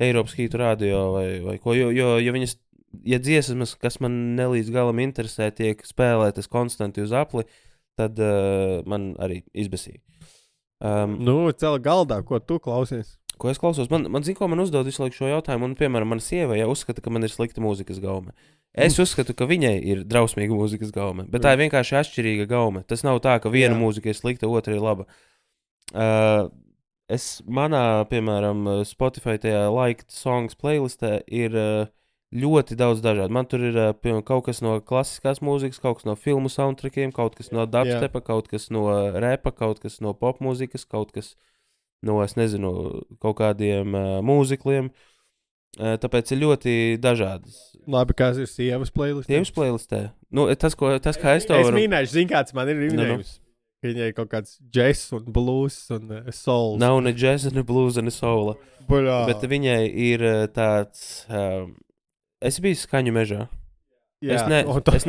Eiropas hītu radio vai ko, jo viņas, ja dziesmas, kas man nelīdz galam interesē, tiek spēlētas konstanti uz apli, tad man arī izbesīja. Cela galdā, ko tu klausies? Ko es klausos? Man zin, ko man uzdod visu laiku šo jautājumu, un, piemēram, mana sieva jau uzskata, ka man ir slikta mūzikas gaume. Es uzskatu, ka viņai ir drausmīga mūzikas gaume, bet tā ir vienkārši atšķirīga gaume. Tas nav tā, ka viena mūzika ir slikta, otra ir laba. Manā, piemēram, Spotify tajā liked songs playlistē ir ļoti daudz dažādu. Man tur ir piemēram, kaut kas no klasiskās mūzikas, kaut kas no filmu soundtrackiem, kaut kas no dubstepa, kaut kas no repa, kaut kas no pop mūzikas, kaut kas no, es nezinu, kaut kādiem mūzikliem. Tāpēc ir ļoti dažādas. Labi, kāds ir sievas playlistē? Sievas playlistē? Tas, kā es to varu... Es minēšu, zin, kāds man ir minējums. Viņai ir kaut kāds jazz un blues un soul. Nav ne jazz, ne blues, ne soul. Bet viņai ir tāds... Es biju Skaņu mežā. Jā, es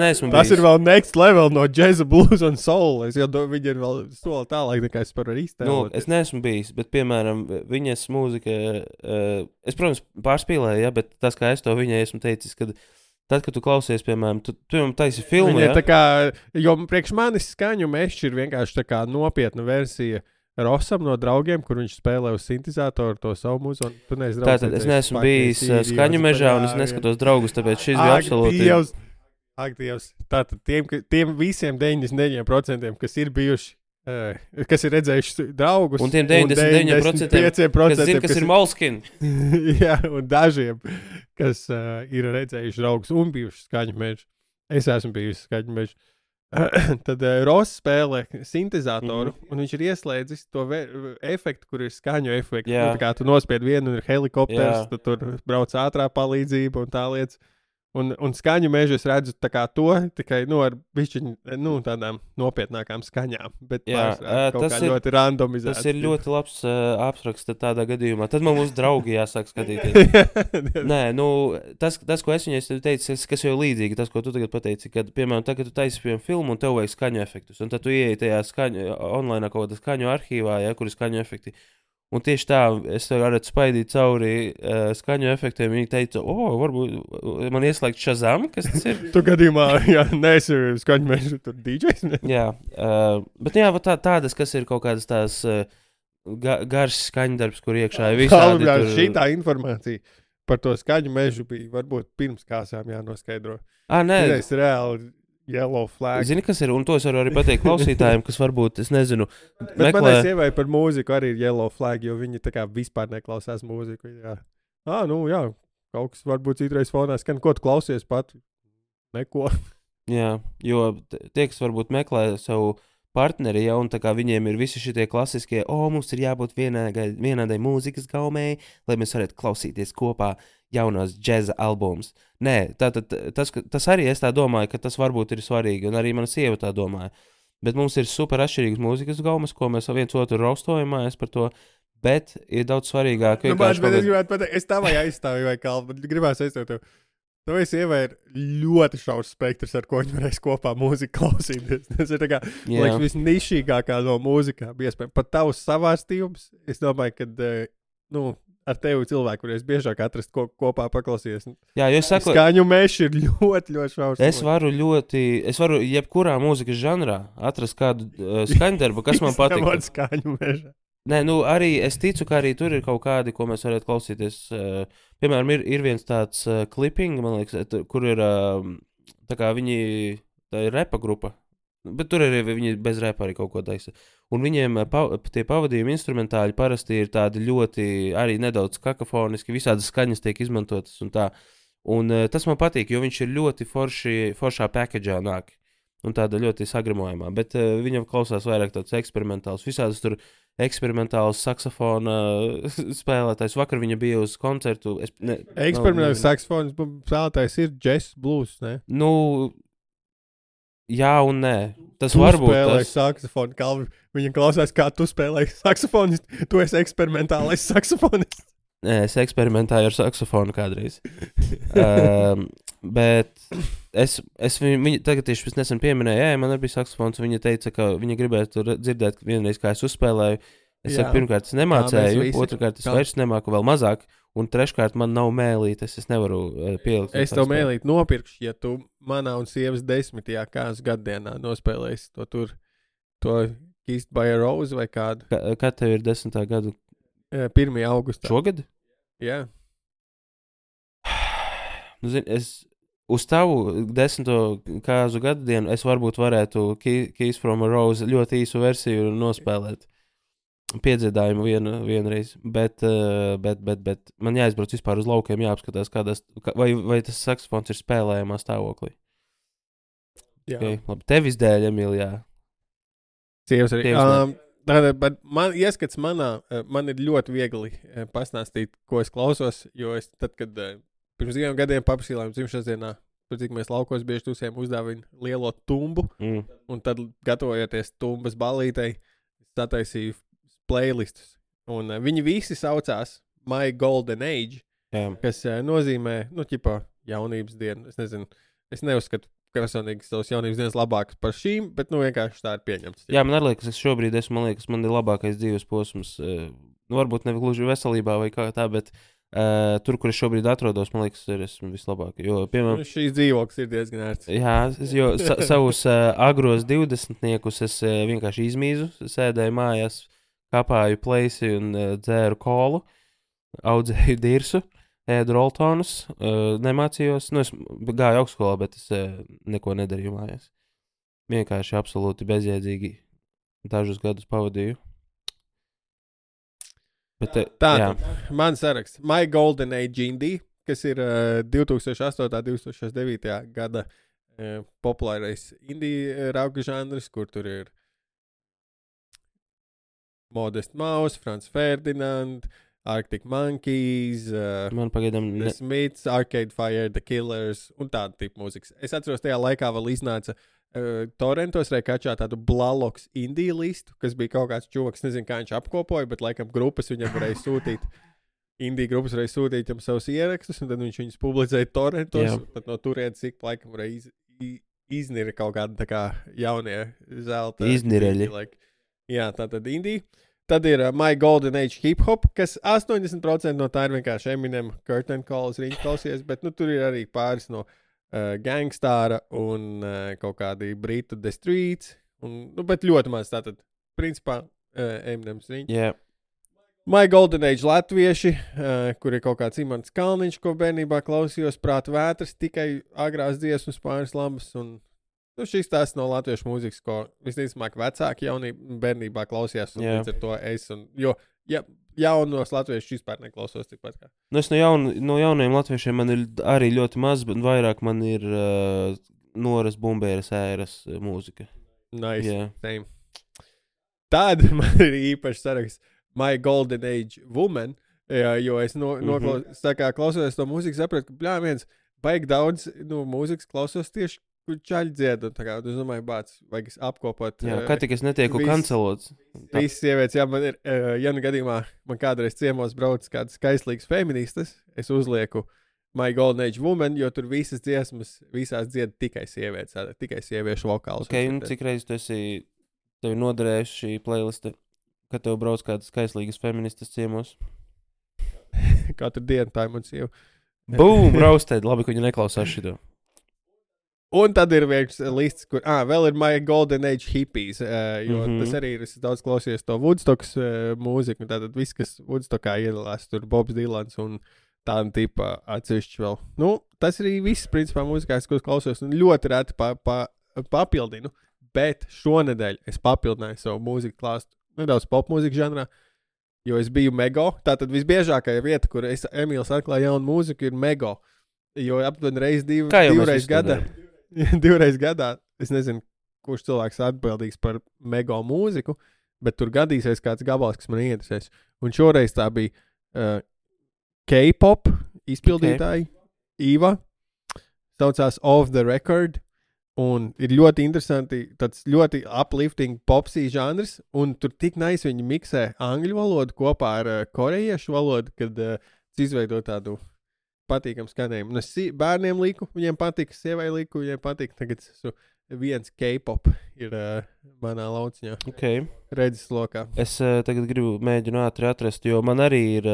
neesmu bijis. Tas ir vēl next level no jazza, blues un soul. Viņi ir vēl soli tālāk, nekā es par iztēlot. Es neesmu bijis, bet, piemēram, viņas mūzika, es, protams, pārspīlēju, ja, bet tas, kā es to viņai esmu teicis, kad tad, kad tu klausies, piemēram, tu taisi filmu, ja? Tā kā, jo priekš manis Skaņu mešs ir vienkārši tā kā nopietna versija Rosam no draugiem, kur viņš spēlē uz sintezatoru to savu mūziku. Tātad es neesmu bijis Skaņu mežā un es neskatos draugus, tāpēc šis bija absolūti... Ak, Dievs. Tātad tiem visiem 99%, kas ir bijuši, kas ir redzējuši draugus. Un tiem 99%, kas zina, kas ir Moleskine. Jā, un dažiem, kas ir redzējuši draugus un bijuši Skaņu mežu. Es esmu bijusi Skaņu mežu. Tad Ross spēlē sintezatoru, un viņš ir ieslēdzis to efektu, kur ir skaņu efekts. Tā kā tu nospied vienu un ir helikopters, tad tur brauc ātrā palīdzība un tā lietas. Un skaņu mežu es redzu tā kā to, tikai, ar bišķiņ, tādām nopietnākām skaņām, bet kaut kā ļoti randomizēts. Tas ir ļoti labs apraksts tādā gadījumā. Tad man mūsu draugi jāsāk skatīties. Nē, tas, ko es viņai teicu, kas jau līdzīgi, tas, ko tu tagad pateici, kad, piemēram, tagad tu taisi piemēram filmu un tev vajag skaņu efektus, un tad tu ieeji tajā online kaut kādā skaņu arhīvā, kur ir skaņu efekti. Un tieši tā, es varētu spaidīt cauri skaņu efektiem. Viņi teica, varbūt man ieslēgt Shazam, kas tas ir. Tu gadījumā, neesi skaņu mežu tur DJs. Jā, bet tādas, kas ir kaut kādas tās garš skaņdarbs, kur iekšā ir visādi. Šitā informācija par to skaņu mežu bija varbūt pirms kāsām jānoskaidro. Nē. Tas ir reāli. Yellow flag. Zini, kas ir, un to es varu arī pateikt klausītājiem, kas varbūt, es nezinu, bet manai sievai par mūziku arī ir yellow flag, jo viņi tā kā vispār neklausās mūziku. Jā. Kaut kas varbūt citreiz fonā skan, ko tu klausies pat? Neko. Jā, jo tie, kas varbūt meklē savu partneri, un tā kā viņiem ir visi šitie klasiskie, mums ir jābūt vienādai mūzikas gaumei, lai mēs varētu klausīties kopā jaunās džeza albumus. Nē, tas arī es tā domāju, ka tas varbūt ir svarīgi, un arī mana sieva tā domāja. Bet mums ir super atšķirīgas mūzikas gaumas, ko mēs viens otru raustojamājas par to, bet ir daudz svarīgāk. Es gribētu pateikt, es tā vai aizstāju vai kalpu, bet gribētu aizstāvēt tev. Tavai sievai ir ļoti šaurs spektrs, ar ko viņi varēs kopā mūziku klausīties. Tas ir tā kā, liekas, visnišīgākā no mūzikām. Pat tavs savārstījums, es domāju, ka, ar tevi cilvēku, kuriem biežāk atrast kopā paklausīties. Jā, jo es saku, skaņu mežs ir ļoti, ļoti šaurs. Es varu jebkurā mūzikas žanrā atrast kādu skaņdarbu, kas man patīk. Skaņu meža. Nē, arī es ticu, ka arī tur ir kaut kādi, ko mēs varētu klausīties. Piemēram, ir viens tāds clipping, man liekas, kur ir tā kā tā ir repa grupa, bet tur arī viņi bez repa arī kaut ko taisa. Un viņiem tie pavadījumi instrumentāļi parasti ir tādi ļoti, arī nedaudz kakofoniski, visādas skaņas tiek izmantotas un tā. Un tas man patīk, jo viņš ir ļoti foršā package'ā nāk. Un tāda ļoti sagramojamā, bet viņam klausās vairāk tāds eksperimentāls, visādas tur eksperimentāls saksofona spēlētājs. Vakar viņa bija uz koncertu. Eksperimentāls saksofona spēlētājs ir jazz blues, ne? Jā un nē. Tas tu varbūt spēlēji saksofonu, Kalvi. Viņa klausās, kā tu spēlēji saksofonistu. Tu esi eksperimentālais saksofonists. Nē, es eksperimentēju ar saksofonu kādreiz. Bet viņa tagad tieši nesen pieminēja, man arī bija saksofons, viņa teica, ka viņa gribētu dzirdēt vienreiz, kā es uzspēlēju. Es saku, pirmkārt, es nemācēju, otrkārt, es vairs nemāku vēl mazāk, un treškārt, man nav mēlītes, es nevaru pielikt. Es tev mēlīti nopirkšu, ja tu manā un sievas 10. kāzu gaddienā nospēlēsi to Kissed by a Rose vai kādu. Kad tev ir 10. gadu? 1. augustā. Šogad? Jā. Uz tavu 10. kāzu gaddienu es varbūt varētu Kiss from a Rose ļoti īsu versiju nospēlēt. Piedziedājumu vienreiz, bet man jāizbrauc vispār uz laukiem, jāapskatās, vai tas saksofons ir spēlējamā stāvoklī. Jā. Okay, labi, tevis dēļ, Emilijā. Sievas arī. Bet man ieskats man ir ļoti viegli pastāstīt, ko es klausos, jo es tad, kad pirms 2 gadiem paprasījām dzimšanas dienā, cik mēs laukos bieži tusiem uzdāvinu lielo tumbu, un tad gatavojoties tumbas ballītei, sataisīju playlistus. Un viņi visi saucās My Golden Age, kas nozīmē, jaunības dienu. Es nezinu, es neuzskatu personīgi savas jaunības dienas labākas par šīm, bet vienkārši tā ir pieņemts. Jā, man arī liekas, es šobrīd man ir labākais dzīves posms. Varbūt ne gluži veselībā vai kā tā, bet tur, kur es šobrīd atrodos, man liekas, esmu vislabāk. Jo, piemēram, šīs dzīvoklis ir diezgan ērts. Jā, jo savus agros 20-niekus es vienkārši izmīzu, sēdēju mājās, kapāju pleisi un dzēru kolu, audzēju dirsu, ēdu roltonus, nemācījos. Es gāju augstskolā, bet es neko nedarīju mājās. Vienkārši absolūti bezjēdzīgi dažus gadus pavadīju. Tātad, man saraksts My Golden Age Indie, kas ir 2008. 2009. gada populārais indie rauga žanrs, kur tur ir Modest Mouse, Franz Ferdinand, Arctic Monkeys, Man pagaidām The Smiths, Arcade Fire, The Killers un tāda tipa mūzikas. Es atceros, tajā laikā vēl iznāca torrentos vai kačā tādu Blaloks indiju listu, kas bija kaut kāds čoks, nezinu, kā viņš apkopoja, bet laikam grupas viņam varēja sūtīt. Indiju grupas varēja sūtīt viņam savus ierakstus, un tad viņš viņus publicēja torrentos. Tad no turienes ik laikam varēja iznira kaut kāda tā kā jaunie zelta. Iznirēļi. Jā, tā tad Indija. Tad ir My Golden Age Hip Hop, kas 80% no tā ir vienkārši Eminem, Curtain Calls, riņķi klausies, bet tur ir arī pāris no Gangstāra un kaut kādi Britu The Streets, bet ļoti maz tātad, principā, Eminems riņķi. Yeah. My Golden Age latvieši, kur ir kaut kāds Imants Kalniņš, ko bērnībā klausījos, Prāta vētras, tikai agrās dziesmas pāris labas un... šis tās no latviešu mūzikas, ko visticamāk vecāki bērnībā klausījās, un līdz ar to es, jo jaunos latviešus vispār neklausos tikpat kā. Es no jaunajiem latviešiem man ir arī ļoti maz, bet vairāk man ir Noras Bumbēras ēras mūzika. Nice, yeah. Same. Tad man ir īpaši saraksts My Golden Age Woman, jo es klausos to mūziku, sapratu, ka viens baigi daudz mūzikas klausos tieši kur čaļi dzied, un tā kā, es domāju, vajag apkopot. Jā, kā tik es netieku kancelots. Visas sievietes, jā, man ir, ja nu gadījumā man kādreiz ciemos brauc kādas skaistlīgas feministas, es uzlieku My Golden Age Woman, jo tur visas dziesmas, visās dzied tikai sievietes, tikai sieviešu vokāls. Ok, un cik reiz tu esi tevi noderējuši šī playliste, kad tev brauc kādas skaistlīgas feministas ciemos? Katru dienu tā ir man sieva. Boom, raustēd, labi, ka viņi neklausās šito. Un tad ir viens lists, kur vēl ir My Golden Age Hippies, jo tas arī ir, es daudz klausījos to Woodstocks mūziku, un tātad viss, kas Woodstockā iedalās, tur Bobs Dylans un tāda tipa atsevišķi vēl. Tas arī viss, principā, mūzikās, ko es klausos, un ļoti reti papildinu, bet šonedēļ es papildināju savu mūziku klāstu nedaudz popmūziku žanrā, jo es biju Mego, tātad visbiežākā vieta, kur Emīls atklāja jaunu mūziku, ir Mego, jo aptuveni divreiz gadā. Divreiz gadā, es nezinu, kurš cilvēks atbildīgs par Mego mūziku, bet tur gadīsies kāds gabals, kas man ieinteresēs. Un šoreiz tā bija K-pop izpildītāji, Iva, saucās Off the Record, un ir ļoti interesanti, tāds ļoti uplifting popsī žanrs, un tur tik nice viņi miksē angļu valodu kopā ar korejiešu valodu, kad izveido tādu patīkam skanējumu. Un es bērniem liku, viņiem patika, sievai liku, viņiem patika. Tagad viens K-pop ir manā lauciņā. Okay. Redzes lokā. Es tagad gribu mēģinu ātri atrast, jo man arī ir,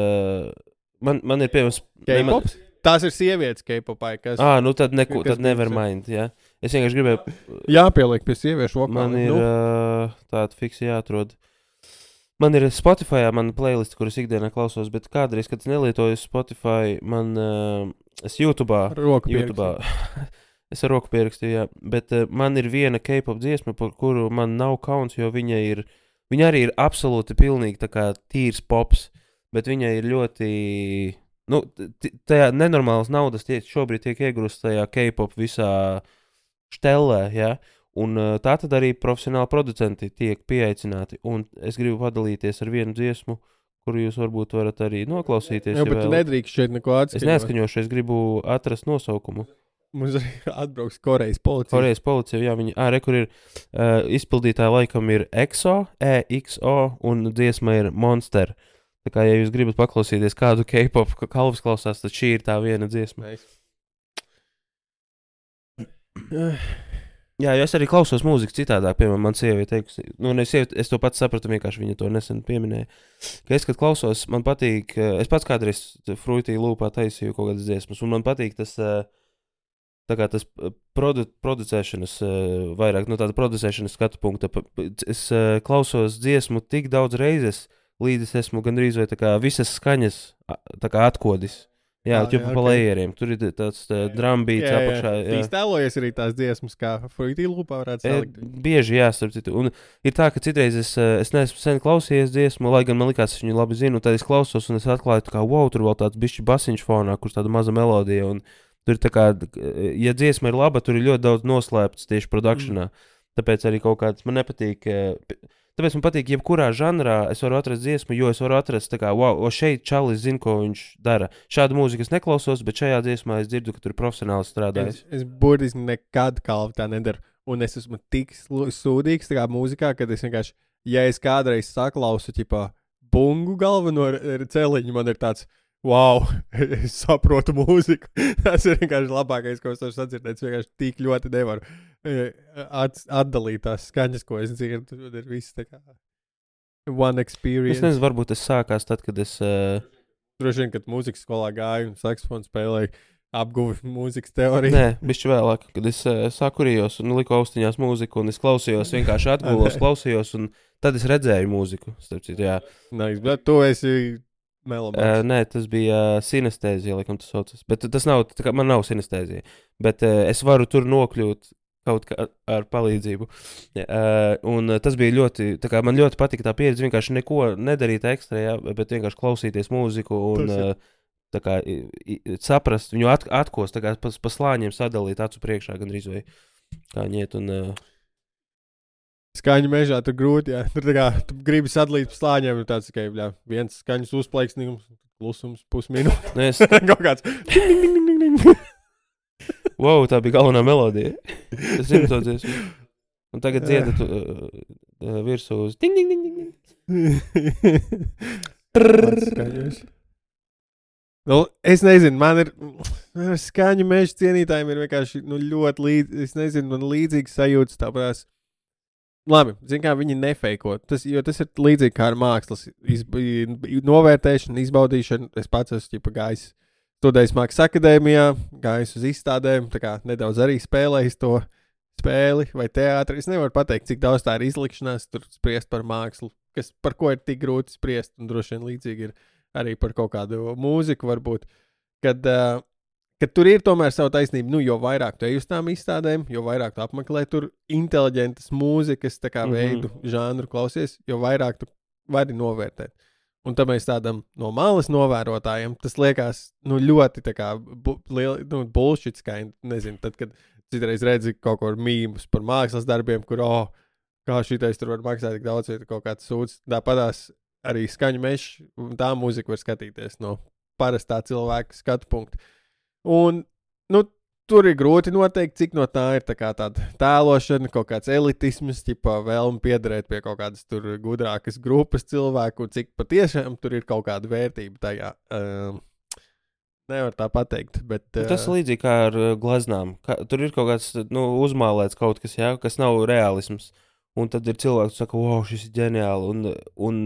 man ir piemērs... K-pops? Tās ir sievietes K-popā, kas... Nu tad neko, tad never mind, jā. Es vienkārši gribēju... Jāpieliek pie sieviešu vokāla. Man ir tāda fiksi jāatrod. Man ir Spotifyā mana playlist, kuras ikdienā klausos, bet kādreiz, kad es nelietoju Spotify, es YouTube'ā, es ar roku pierakstīju, jā, bet man ir viena K-pop dziesma, par kuru man nav kauns, jo viņa arī ir absolūti pilnīgi tā kā tīrs pops, bet viņa ir ļoti, tajā nenormālas naudas šobrīd tiek iegrūst tajā K-pop visā štelē, jā. Un tā tad arī profesionāli producenti tiek pieaicināti, un es gribu padalīties ar vienu dziesmu, kuru jūs varbūt varat arī noklausīties. Jā, bet tu nedrīkst šeit neko atskaņot. Es neatskaņošu, es gribu atrast nosaukumu. Mums arī atbrauks Korejas policija. Korejas policija, jā, viņi, kur ir izpildītāji laikam ir EXO, EXO, un dziesma ir Monster. Tā kā, ja jūs gribat paklausīties kādu K-pop kalvas klausās, tad šī ir tā viena dziesma. Nice. Jā, jo es arī klausos mūziku citādāk, piemēram, man sieviete teikusi, es to pats sapratu, vienkārši viņa to nesen pieminēja, ka es, kad klausos, man patīk, es pats kādreiz Fruity Loopā taisīju kaut kādas dziesmas, un man patīk tas, tā kā tas producēšanas, vairāk, tāda producēšanas skatu punkta, es klausos dziesmu tik daudz reizes, līdz es esmu gandrīz vai tā kā visas skaņas, tā kā atkodis. Jā, ķupa pa lejieriem. Tur ir tāds drumbeats apakšā. Jā. Tēlojies arī tās dziesmas, kā Fruity Loopā varētu salikt. Bieži, jā, starp citu. Un ir tā, ka citreiz es neesmu sen klausījies dziesmu, lai gan man likās, es viņu labi zinu, un tad es klausos un es atklāju, tā kā, wow, tur vēl tāds bišķi basiņš fonā, kurš tāda maza melodija, un tur ir tā kā, ja dziesma ir laba, tur ir ļoti daudz noslēpts tieši produkšanā. Tāpēc arī kaut kāds, man nepatīk, tāpēc man patīk, jebkurā žanrā es varu atrast dziesmu, jo es varu atrast, tā kā, wow, šeit Čalis zina, ko viņš dara. Šādu mūziku es neklausos, bet šajā dziesmā es dzirdu, ka tur ir profesionāli strādājis. Es burtiski nekad kalvu tā nedaru. Un es esmu tik sūdīgs tā kā mūzikā, kad es vienkārši, ja es kādreiz saklausu, ķipā, bungu galveno celiņu, man ir tāds, wow, es saprotu mūziku. Tas ir vienkārši labākais, ko es varu sadzirdēt. Es vienkārši tik ļoti nevaru atdalīt tās skaņas, ko es dzirdu. Tur ir viss tā kā one experience. Es nezinu, varbūt tas sākās tad, kad es... Droši vien, kad mūzikas skolā gāju un saksofonu spēlēju, apguvu mūzikas teoriju. Nē, bišķi vēlāk, kad es sakurījos un liku austiņās mūziku un es klausījos, vienkārši atgulos, klausījos un tad es redzēju mūziku. Starp citu, jā. Nice, bet tu esi melomāns. Nē, tas bija sinestēzija, laikam tas saucas. Bet tas nav, tā kā man nav sinestēzija. Bet es varu tur nokļūt kaut kā ar palīdzību. Un tas bija ļoti, tā kā man ļoti patika tā pieredze, vienkārši neko nedarīt ekstra, jā, bet vienkārši klausīties mūziku un tā kā saprast, viņu atkost, tā kā pa slāņiem sadalīt acu priekšā gandrīz vai kā ņiet un... Skaņu mežā tur grūti, jā. Tur tā kā tu gribi sadalīt pa slāņiem, un tāds tikai, jā, viens skaņas uzplaiksnījums, klusums, pusminūte. Nu, es... Kaut kāds. Wow, tā bija galvenā melodija. Es zinu to dziesmu. Un tagad dziedat virsū uz ding, ding, ding, ding. Nu, es nezinu, man ir skaņu meža cienītājiem ir vienkārši ļoti līdzīgi, es nezinu, man līdzīgs sajūtas tāpēc. Labi, zin kā viņi nefeiko, jo tas ir līdzīgi kā ar mākslas novērtēšanu, izbaudīšanu. Es pats esmu gājis studējis Mākslas akadēmijā, gājis uz izstādēm, tā kā nedaudz arī spēlējis to spēli vai teātri. Es nevaru pateikt, cik daudz tā ir izlikšanās, tur spriest par mākslu, par ko ir tik grūti spriest, un droši vien līdzīgi ir arī par kaut kādu mūziku varbūt, kad tur ir tomēr savu taisnību, nu, jo vairāk tu ej uz tām izstādēm, jo vairāk tu apmeklē tur inteliģentas mūzikas, tā kā veidu, žanru klausies, jo vairāk tu vari novērtēt. Un tam mēs tādam no malas novērotājiem, tas liekas, nu, ļoti tā kā bullshit kind, nezinu, tad, kad citreiz redzi kaut ko mīmus par mākslas darbiem, kur, kā šitais tur var maksāt tik daudz, vai kaut kāds sūds, tāpatās arī skaņu mežs, un tā mūzika var skatīties no parastā cilvēka skatu punkta. Un, nu, tur ir grūti noteikt, cik no tā ir tā kā tāda tēlošana, kaut kāds elitisms, ķipā vēlme piederēt pie kaut kādas tur gudrākas grupas cilvēku, un cik patiešām tur ir kaut kāda vērtība tajā. Nevar tā pateikt, bet... Tas līdzīgi kā ar gleznām. Tur ir kaut kāds, nu, uzmālēts kaut kas, jā, kas nav realisms. Un tad ir cilvēks, kas saka, wow, šis ir ģeniāli. Un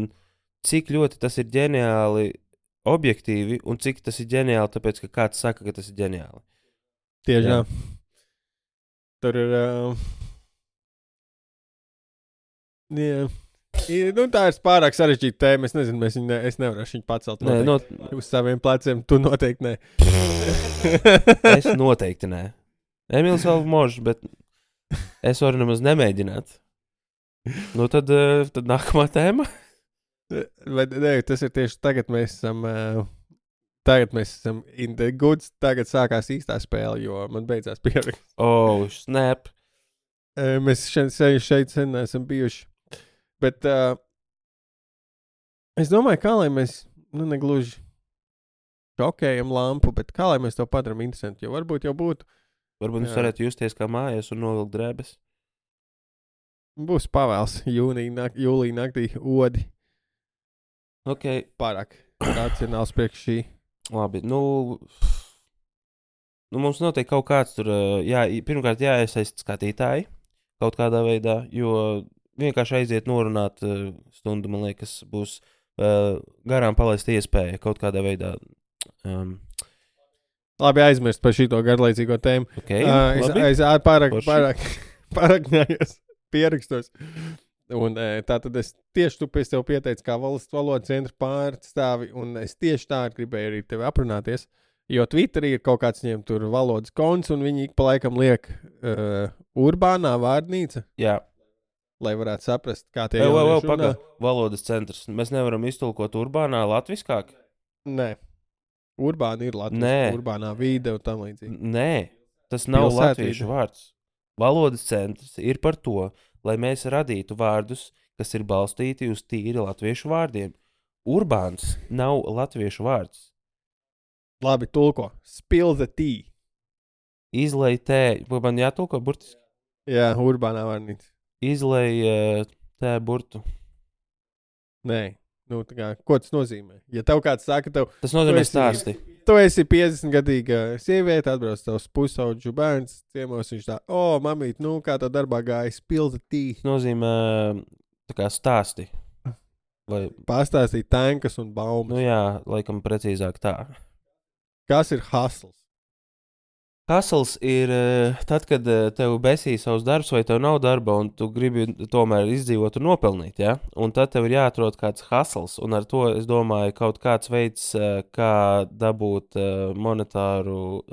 cik ļoti tas ir ģeniāli objektīvi, un cik tas ir ģeniāli, tāpēc, ka kāds saka, ka tas ir ģeniāli. Tieši jā. Tur ir... Nu, tā ir pārāk sarežģīta tēma. Es nezinu, es nevarēšu viņu pacelt uz saviem pleciem. Tu noteikti nē. Es noteikti nē. Emīls vēl možs, bet es varu nemaz nemēģināt. Nu, tad nākamā tēma. Bet, nē, tas ir tieši tagad mēs esam... Tagad mēs esam in the goods, tagad sākās īstā spēle, jo man beidzās pieraksts. Oh, snap! Mēs šeit sen neesam bijuši. Bet es domāju, kā lai mēs, nu, negluži šokējam lampu, bet kā lai mēs to padaram interesanti, jo varbūt jau būtu. Varbūt jūs varētu justies kā mājās un novilkt drēbes. Būs pavēls jūlija naktī odi. Ok. Pārāk racionāls priekš šī. Labi, nu mums noteikti kaut kāds tur, pirmkārt jāiesaist skatītāji kaut kādā veidā, jo vienkārši aiziet norunāt stundu, man liekas, būs garām palaist iespēja kaut kādā veidā. Labi, aizmirst par šito garlaicīgo tēmu. Okay, es pārāk ņājos pierakstos. Un tā tad es tieši tu pēc tev pieteicu kā valsts valodas centra pārstāvi, un es tieši tā gribēju arī tevi aprunāties, jo Twitterī ir kaut kāds viņiem tur valodas konts, un viņi ik pa laikam liek urbānā vārdnīca. Jā. Lai varētu saprast, kā tie jaunieši runā. Valodas centrs. Mēs nevaram iztulkot urbānā latviskāk? Nē. Urbāna ir latviska, urbānā vide un tam līdzīgi. Nē, tas nav latviešu vārds. Valodas centrs ir par to, lai mēs radītu vārdus, kas ir balstīti uz tīri latviešu vārdiem. Urbāns nav latviešu vārds. Labi, tulko. Spill the tea. Izlej tēju. Vai man jātulko burtiski? Jā, urbānā vārnīca. Izlej tēju burtu. Nē. Nu, tā kā, ko tas nozīmē? Ja tev kāds saka, Tas nozīmē Tu esi- stāsti. tu esi 50-gadīga sieviete, atbrauc tavs pusaudžu bērns, ciemos viņš tā, mamīt, nu, kā tā darbā gāja, spill the tea. Tas nozīmē tā kā stāsti. Vai, Pastāstīt tankas un baumas. nu jā, laikam precīzāk tā. Kas ir hustles? Hustles ir tad, kad tev besī savs darbs, vai tev nav darba, un tu gribi tomēr izdzīvot un nopelnīt. Ja? Un tad tev ir jāatrod kāds hustles, un ar to es domāju, kaut kāds veids, kā dabūt monetāru,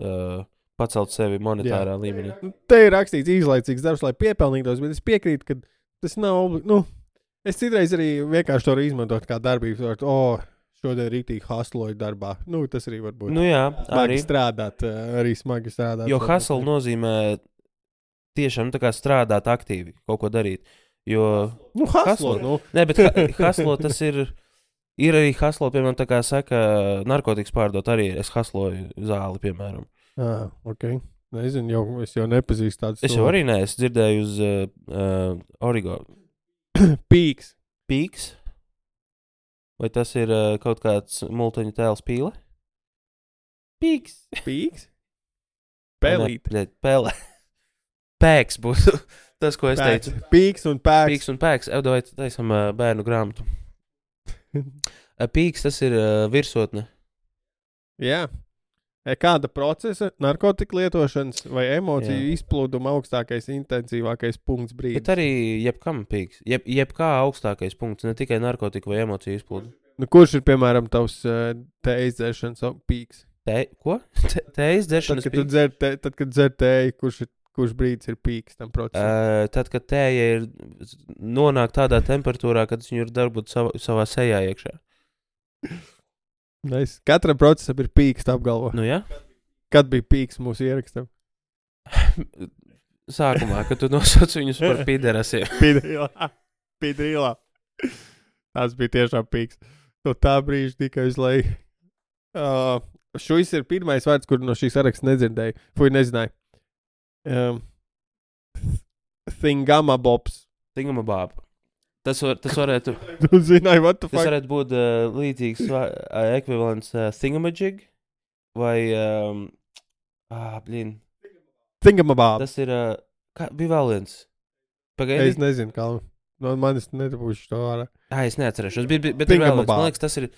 pacelt sevi monetārā līmenī. Nu, te ir rakstīts īslaicīgs darbs, lai piepelnītos, bet es piekrītu, ka tas nav, es citreiz arī vienkārši to arī izmantot kā darbību. Šodien rītīgi hustloju darbā. Nu, tas arī var būt. Nu jā, Smagi arī. strādāt, arī smagi strādāt. Jo hustle nozīmē tiešām tā kā strādāt aktīvi, kaut ko darīt. Jo, Nu, hustlo, hustlo. nu. nē, bet hustlo tas ir arī hustlo, piemēram, tā kā saka, narkotikas pārdot arī. Es hustloju zāli, piemēram. Ok. Nezinu, es jau nepazīstu tādus. Es jau arī neesmu dzirdēju uz Origo. Pīks. Pīks? Vai tas ir kaut kāds multiņu tēls pīle? Pīks. Pīks? Pelīt. Pēle. Pēks būtu tas, ko es teicu. Pīks un pēks. Pīks un pēks. Evdoj, taisam bērnu grāmatu. Pīks, tas ir virsotne. Jā. Kāda procesa, narkotika lietošanas vai emociju izplūduma augstākais, intensīvākais punkts brīdis? Bet arī jebkam pīks. Jebkā augstākais punkts, ne tikai narkotika vai emociju izplūdu. Nu, kurš ir, piemēram, tavs tējas dzeršanas pīks? Ko? Tējas dzeršanas pīks? Tad, kad dzer tēju, kurš brīdis ir pīks tam procesam? Tad, kad tēja ir nonāk tādā temperatūrā, kad viņu ir darbūt savā sejā iekšā. Katram procesam ir pīks, tā apgalvo. Nu jā? Kad bija pīks mūsu ierakstam? Sākumā, kad tu nosauc viņus par piderasiem. Pīdrīlā. Tas bija tiešām pīks. No tā brīža tikai uz leju. Šis ir pirmais vārds, kur no šīs saraksta nedzirdēju. Nezināju. Thingamabobs. Thingamabab. Tas varētu, Tu zināji, what the tas fuck? varētu būt līdzīgs ekvivalents thingamajig vai, Thingamabab. tas ir, bija vēl viens. Es Pagaidi. nezinu, kā. No manis nedabūšu to ārā. Es neatcerēšos, bet ir vēl viens. Thingamabab. Man liekas, tas ir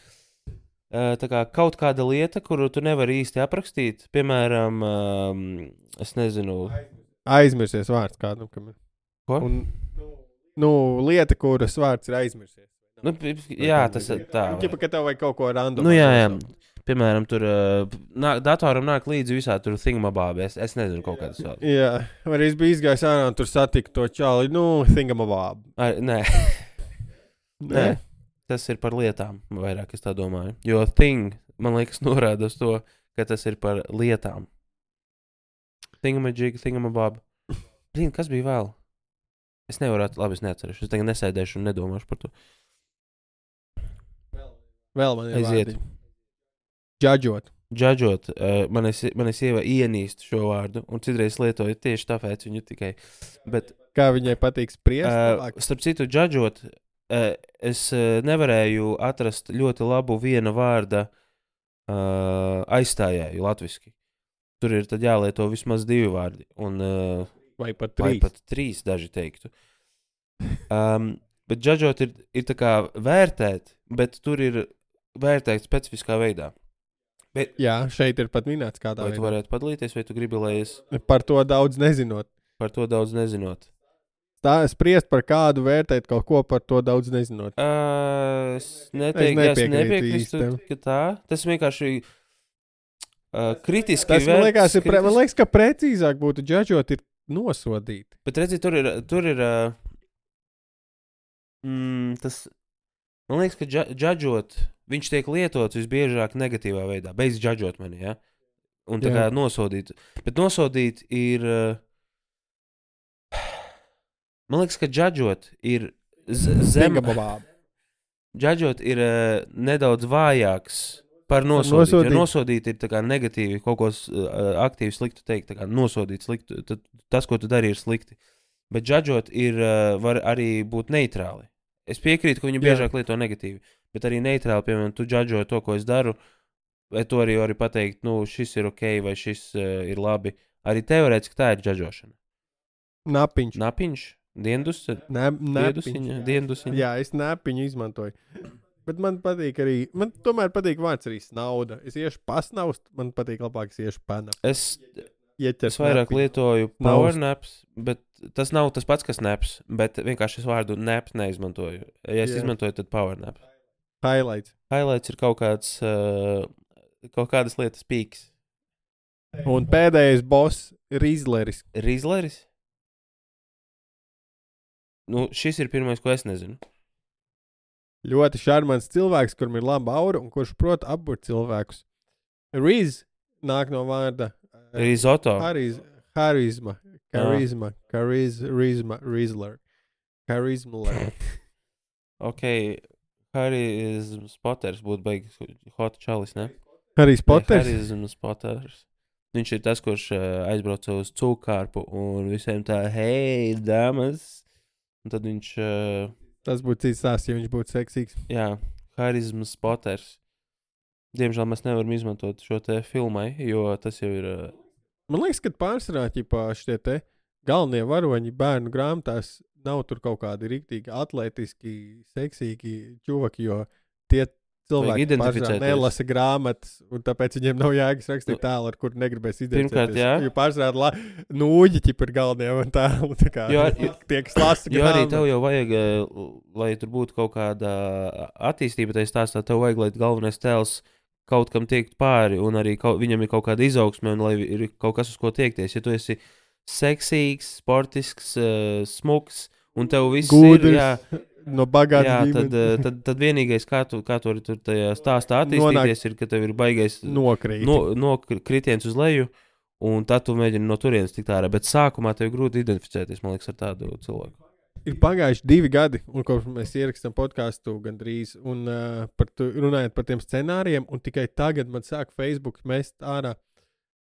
tā kā kaut kāda lieta, kuru tu nevari īsti aprakstīt. Piemēram, es nezinu. Aizmirsies vārds kādam. Ko? Lieta, kuras vārds ir aizmirsies. Nu, jā, tas ir tā. Ķipa, ka tev vajag kaut ko random. Nu, jā. Piemēram, tur datoram nāk līdzi visā tur thingamabab. Es nezinu kaut kādas vēl. Jā, vai arī es biju izgājis ārā un tur satiku to čāli. Thingamabab. Nē. Nē. Tas ir par lietām, vairāk es tā domāju. Jo thing, man liekas, norāda uz to, ka tas ir par lietām. Thingamajig, thingamabab. Kas bija vēl? Es nevaru, labi, es neatceros. Es tagad nesēdēšu un nedomāšu par to. Vēl man ir Aiziet. vārdi. Judžot. Judžot, manis sieva ienīst šo vārdu, un citreiz lietoju tieši tāpēc viņu tikai. Bet, Kā viņai patīk spriest? starp citu, judžot, es nevarēju atrast ļoti labu viena vārda aizstājēju latviski. Tur ir tad jālieto vismaz 2 vārdi, un Vai pat vai 3? pat 3 daži teiktu. Bet judžot ir tā kā vērtēt, bet tur ir vērtēt specifiskā veidā. Bet, Jā, šeit ir pat minēts kādā vai tu varētu padalīties, vai tu gribi, lai es Par to daudz nezinot. par to daudz nezinot? Tā spriest par kādu, vērtēt kaut ko par to daudz nezinot. Es nepiekrītu, nepiekrītu tam. ka tā. Tas vienkārši kritiski Tas man liekas, vērts, man liekas, ka precīzāk būtu judžot ir nosodīt. Bet redzi, tur ir tas, man liekas, ka judžot, viņš tiek lietots visbiežāk negatīvā veidā, bez judžot mani, ja? Un tā kā nosodīt. Bet nosodīt ir, man liekas, ka judžot ir Zingababāb. Džadžot ir nedaudz vājāks par nosodīt. Jo nosodīt ir tā kā negatīvi, kaut ko aktīvi sliktu teikt, tā kā nosodīt sliktu. Tas, ko tu dari, ir slikti. Bet džadžot var arī būt neitrāli. Es piekrītu, ka viņi biežāk lieto negatīvi, bet arī neitrāli, piemēram, tu džadžoji to, ko es daru, vai to arī vari pateikt, nu, šis ir ok, vai šis ir labi. Arī teorētiski tā ir džadžošana. Napiņš? Diendusiņa? Jā, es napiņu izmantoju. Bet man patīk arī, man tomēr patīk vārds arī snauda. Es iešu pasnaust, man patīk labāk, es iešu panap. Es vairāk lietoju power naps, bet tas nav tas pats, kas naps, bet vienkārši es vārdu naps neizmantoju. Ja es izmantoju, tad power naps. Highlights ir kaut kādas lietas pīks. Un pēdējais boss Rizleris. Rizleris? Nu, šis ir pirmais, ko es nezinu. Ļoti šarmants cilvēks, kuram ir laba aura un kurš prot apburt cilvēkus. Riz nāk no vārda Risotto. Harizma. Ok, Harizmas Potters būtu beigas hot čalis, ne? Harijs Potters? Harizmas Potters. Viņš ir tas, kurš aizbrauca uz cūkārpu un visiem tā, hei, damas. Un tad viņš... Tas būtu cits stāsts, ja viņš būtu seksīgs. Jā, Harizmas Potters. Diemžēl mēs nevaram izmantot šo te filmai, jo tas jau ir... Man liekas, ka pārsvarā šitie te galvenie varoņi bērnu grāmatās nav tur kaut kādi riktīgi atletiski, seksīgi čuvaki, jo tie cilvēki pārsvarā nelasa grāmatas, un tāpēc viņiem nav jēgas rakstīt tēlu, ar kuru negribēs identificēties. Pirmkārt, jā. Jo pārsvarā nūģi ir galvenie un tēlu, tā kā tie, kas lasa grāmatu. Jo arī tev jau vajag, lai tur būtu kaut kāda attīstība, tai stāstā tev vajag, lai galvenais tēls kaut kam tiekt pāri, un arī viņam ir kaut kāda izaugsme, un lai ir kaut kas, uz ko tiekties. Ja tu esi seksīgs, sportisks, smuks, un tev viss Gudrs, ir, jā, no bagātas ģimenes. Tad vienīgais, kā tu vari tur tajā stāstā attīstīties, ir, ka tev ir baigais kritiens uz leju, un tad tu mēģini no turienes tikt ārā. Bet sākumā tev ir grūti identificēties, man liekas, ar tādu cilvēku. Ir pagājuši 2 gadi, un kopš mēs ierakstām podcastu gandrīz, un runājot par tiem scenārijiem, un tikai tagad man sāk Facebook mest ārā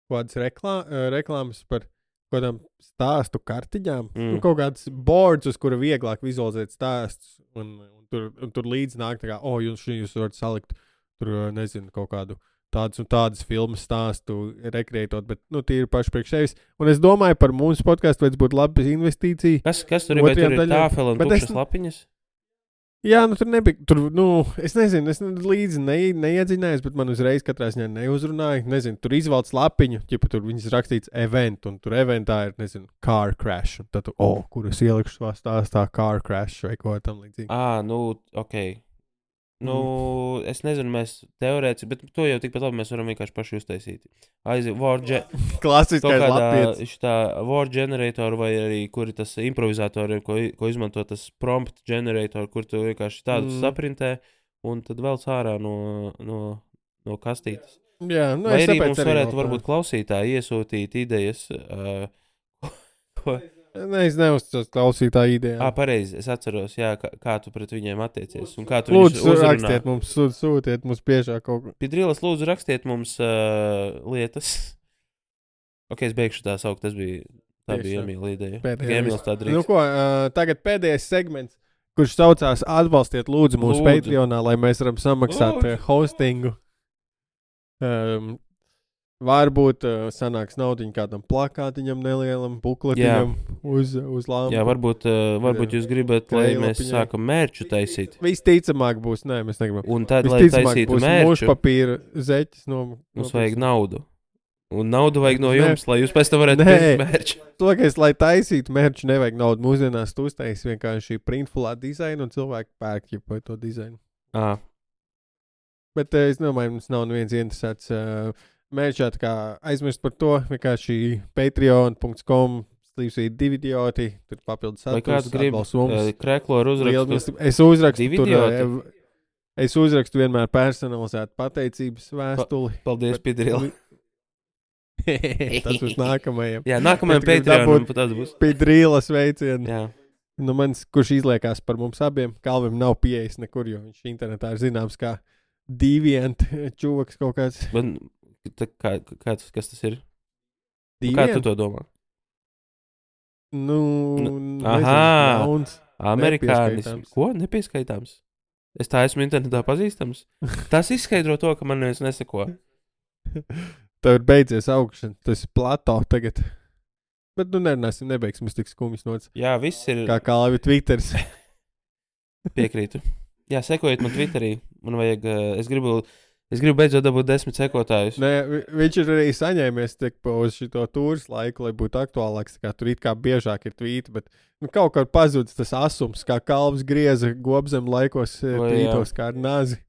kādas reklāmas par kādām stāstu kartiņām, kaut kādas boards, uz kura vieglāk vizualizēt stāstus, un tur līdz nāk tā kā, jūs varat salikt tur, nezinu, kaut kādu tādas un tādas filmas stāstu rekreētot, bet, tie ir paši priekš sevis. Un es domāju, par mūsu podcastu vajadz būt laba investīcija. Kas tur ir? Vai tur ir tāfela un tukšas lapiņas? Jā, tur nebija, es nezinu, es līdzi neiedziņājos, bet man uzreiz katrā ziņā neuzrunāja. Nezinu, tur izvalc lapiņu, ja tur viņas rakstīts event, un tur eventā ir, nezinu, car crash. Un tad tu, kur es ielikšu savā stāstā car crash vai ko tam līdzīgi. Ok. Es nezinu, mēs teorētiski, bet to jau tikpat labi mēs varam vienkārši paši uztaisīt. Klasiskais lapietis. Tā word generator vai arī, kur ir tas improvizatori, ko izmanto tas prompt generator, kur tu vienkārši tādu saprintē un tad velc ārā no kastītes. Jā, vai arī mums varētu varbūt klausītāji iesūtīt idejas, ko... Es neuzticos klausītāju idejām. Pareizi, es atceros, jā, kā tu pret viņiem attiecies un kā tu viņus uzrunā. Lūdzu, rakstiet mums, sūtiet mums biežāk kaut ko. Pidrīlas, lūdzu, rakstiet mums lietas. Ok, es beigšu tā saukt, tā bija Emīla ideja. Emīls tā drīz. Tagad pēdējais segments, kurš saucās atbalstiet lūdzu mūsu Patreonā, lai mēs varam samaksāt hostingu. Varbūt sanāks naudiņu kādam plakātiņam nelielam, bukletiņam uz lāmpu. Jā, varbūt jūs gribat, lai mēs sākam mērču taisīt. Visticamāk būs, mēs negribam. Un tad, lai taisītu mērču, mūsu papīra zeķis mums vajag naudu. Un naudu vajag no jums, lai jūs pēc tam varētu pirkt mērču. Lai taisītu mērču, nevajag naudu. Mūsdienās tu uztaisi vienkārši printfulā dizainu un cilvēki pērk jau to dizainu. Bet es domāju, mums nav neviens interesēts... Mērķā tā kā aizmirst par to, vienkārši patreon.com/dividioti, tur papildus saturs. Vai kāds grib krekloru uzrakstu? Es uzrakstu vienmēr personalizētu pateicības vēstuli. Paldies, Pidrīla. Tas būs nākamajam. Jā, nākamajam Patreonam pat tas būs. Pidrīla sveicienu. Jā. Nu, kurš izliekās par mums abiem, Kalvim nav pieejas nekur, jo viņš internetā ir zināms kā deviant čuvaks kaut kāds. Kas tas ir? Deviant? Kā tu to domā? Aha, amerikānis. Ko? Nepieskaitāms? Es tā esmu internetā pazīstams. Tas izskaidro to, ka man neviens neseko. Tev ir beidzies augšana, tas ir plato tagad. Bet nerunāsim, nebeigsim, es tik skumjas nots. Jā, viss ir. Kā Kalvi Twitteris. Piekrītu. Jā, sekojiet man Twitterī. Man vajag, es gribu beidzot dabūt 10 sekotājus. Nē, viņš ir arī saņēmies uz šito tūras laiku, lai būtu aktuālāks. Tur it kā biežāk ir tvīti, bet kaut kā pazudis tas asums, kā Kalvs grieza gobzem laikos tvītos kā ar nazi.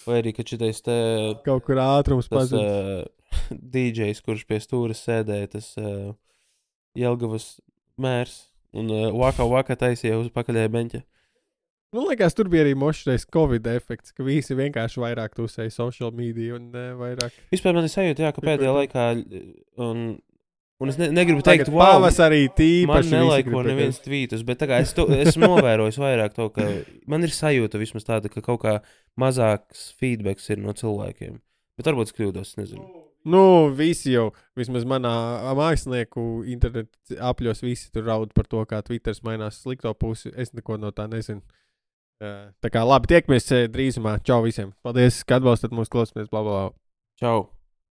Vai arī, ka šitais te... Kaut kur ātrums pazudis. DJs, kurš pie stūras sēdēja, tas Jelgavas mērs un waka taisīja uz pakaļēja beņķa. Man liekas, tur bija arī mošais Covid efekts, ka visi vienkārši vairāk tusēja social media un vairāk. Vispār man ir sajūta, jā, ka pēdējā laikā, un es negribu teikt, wow, pavasarī tīpaši man nelaiko neviens tvītus, bet tā kā esmu novērojis vairāk to, ka man ir sajūta vismaz tāda, ka kaut kā mazāks feedbacks ir no cilvēkiem. Bet varbūt es kļūdos, nezinu. Nu, visi jau, vismaz manā mākslinieku internetu apļos, visi tur raud par to, kā Twitters mainās slikto pusi. Es neko no tā nezinu. Tā kā labi, tiekamies drīzumā. Čau visiem. Paldies, ka atbalstat mūsu klausāties. Bla, bla, bla. Čau.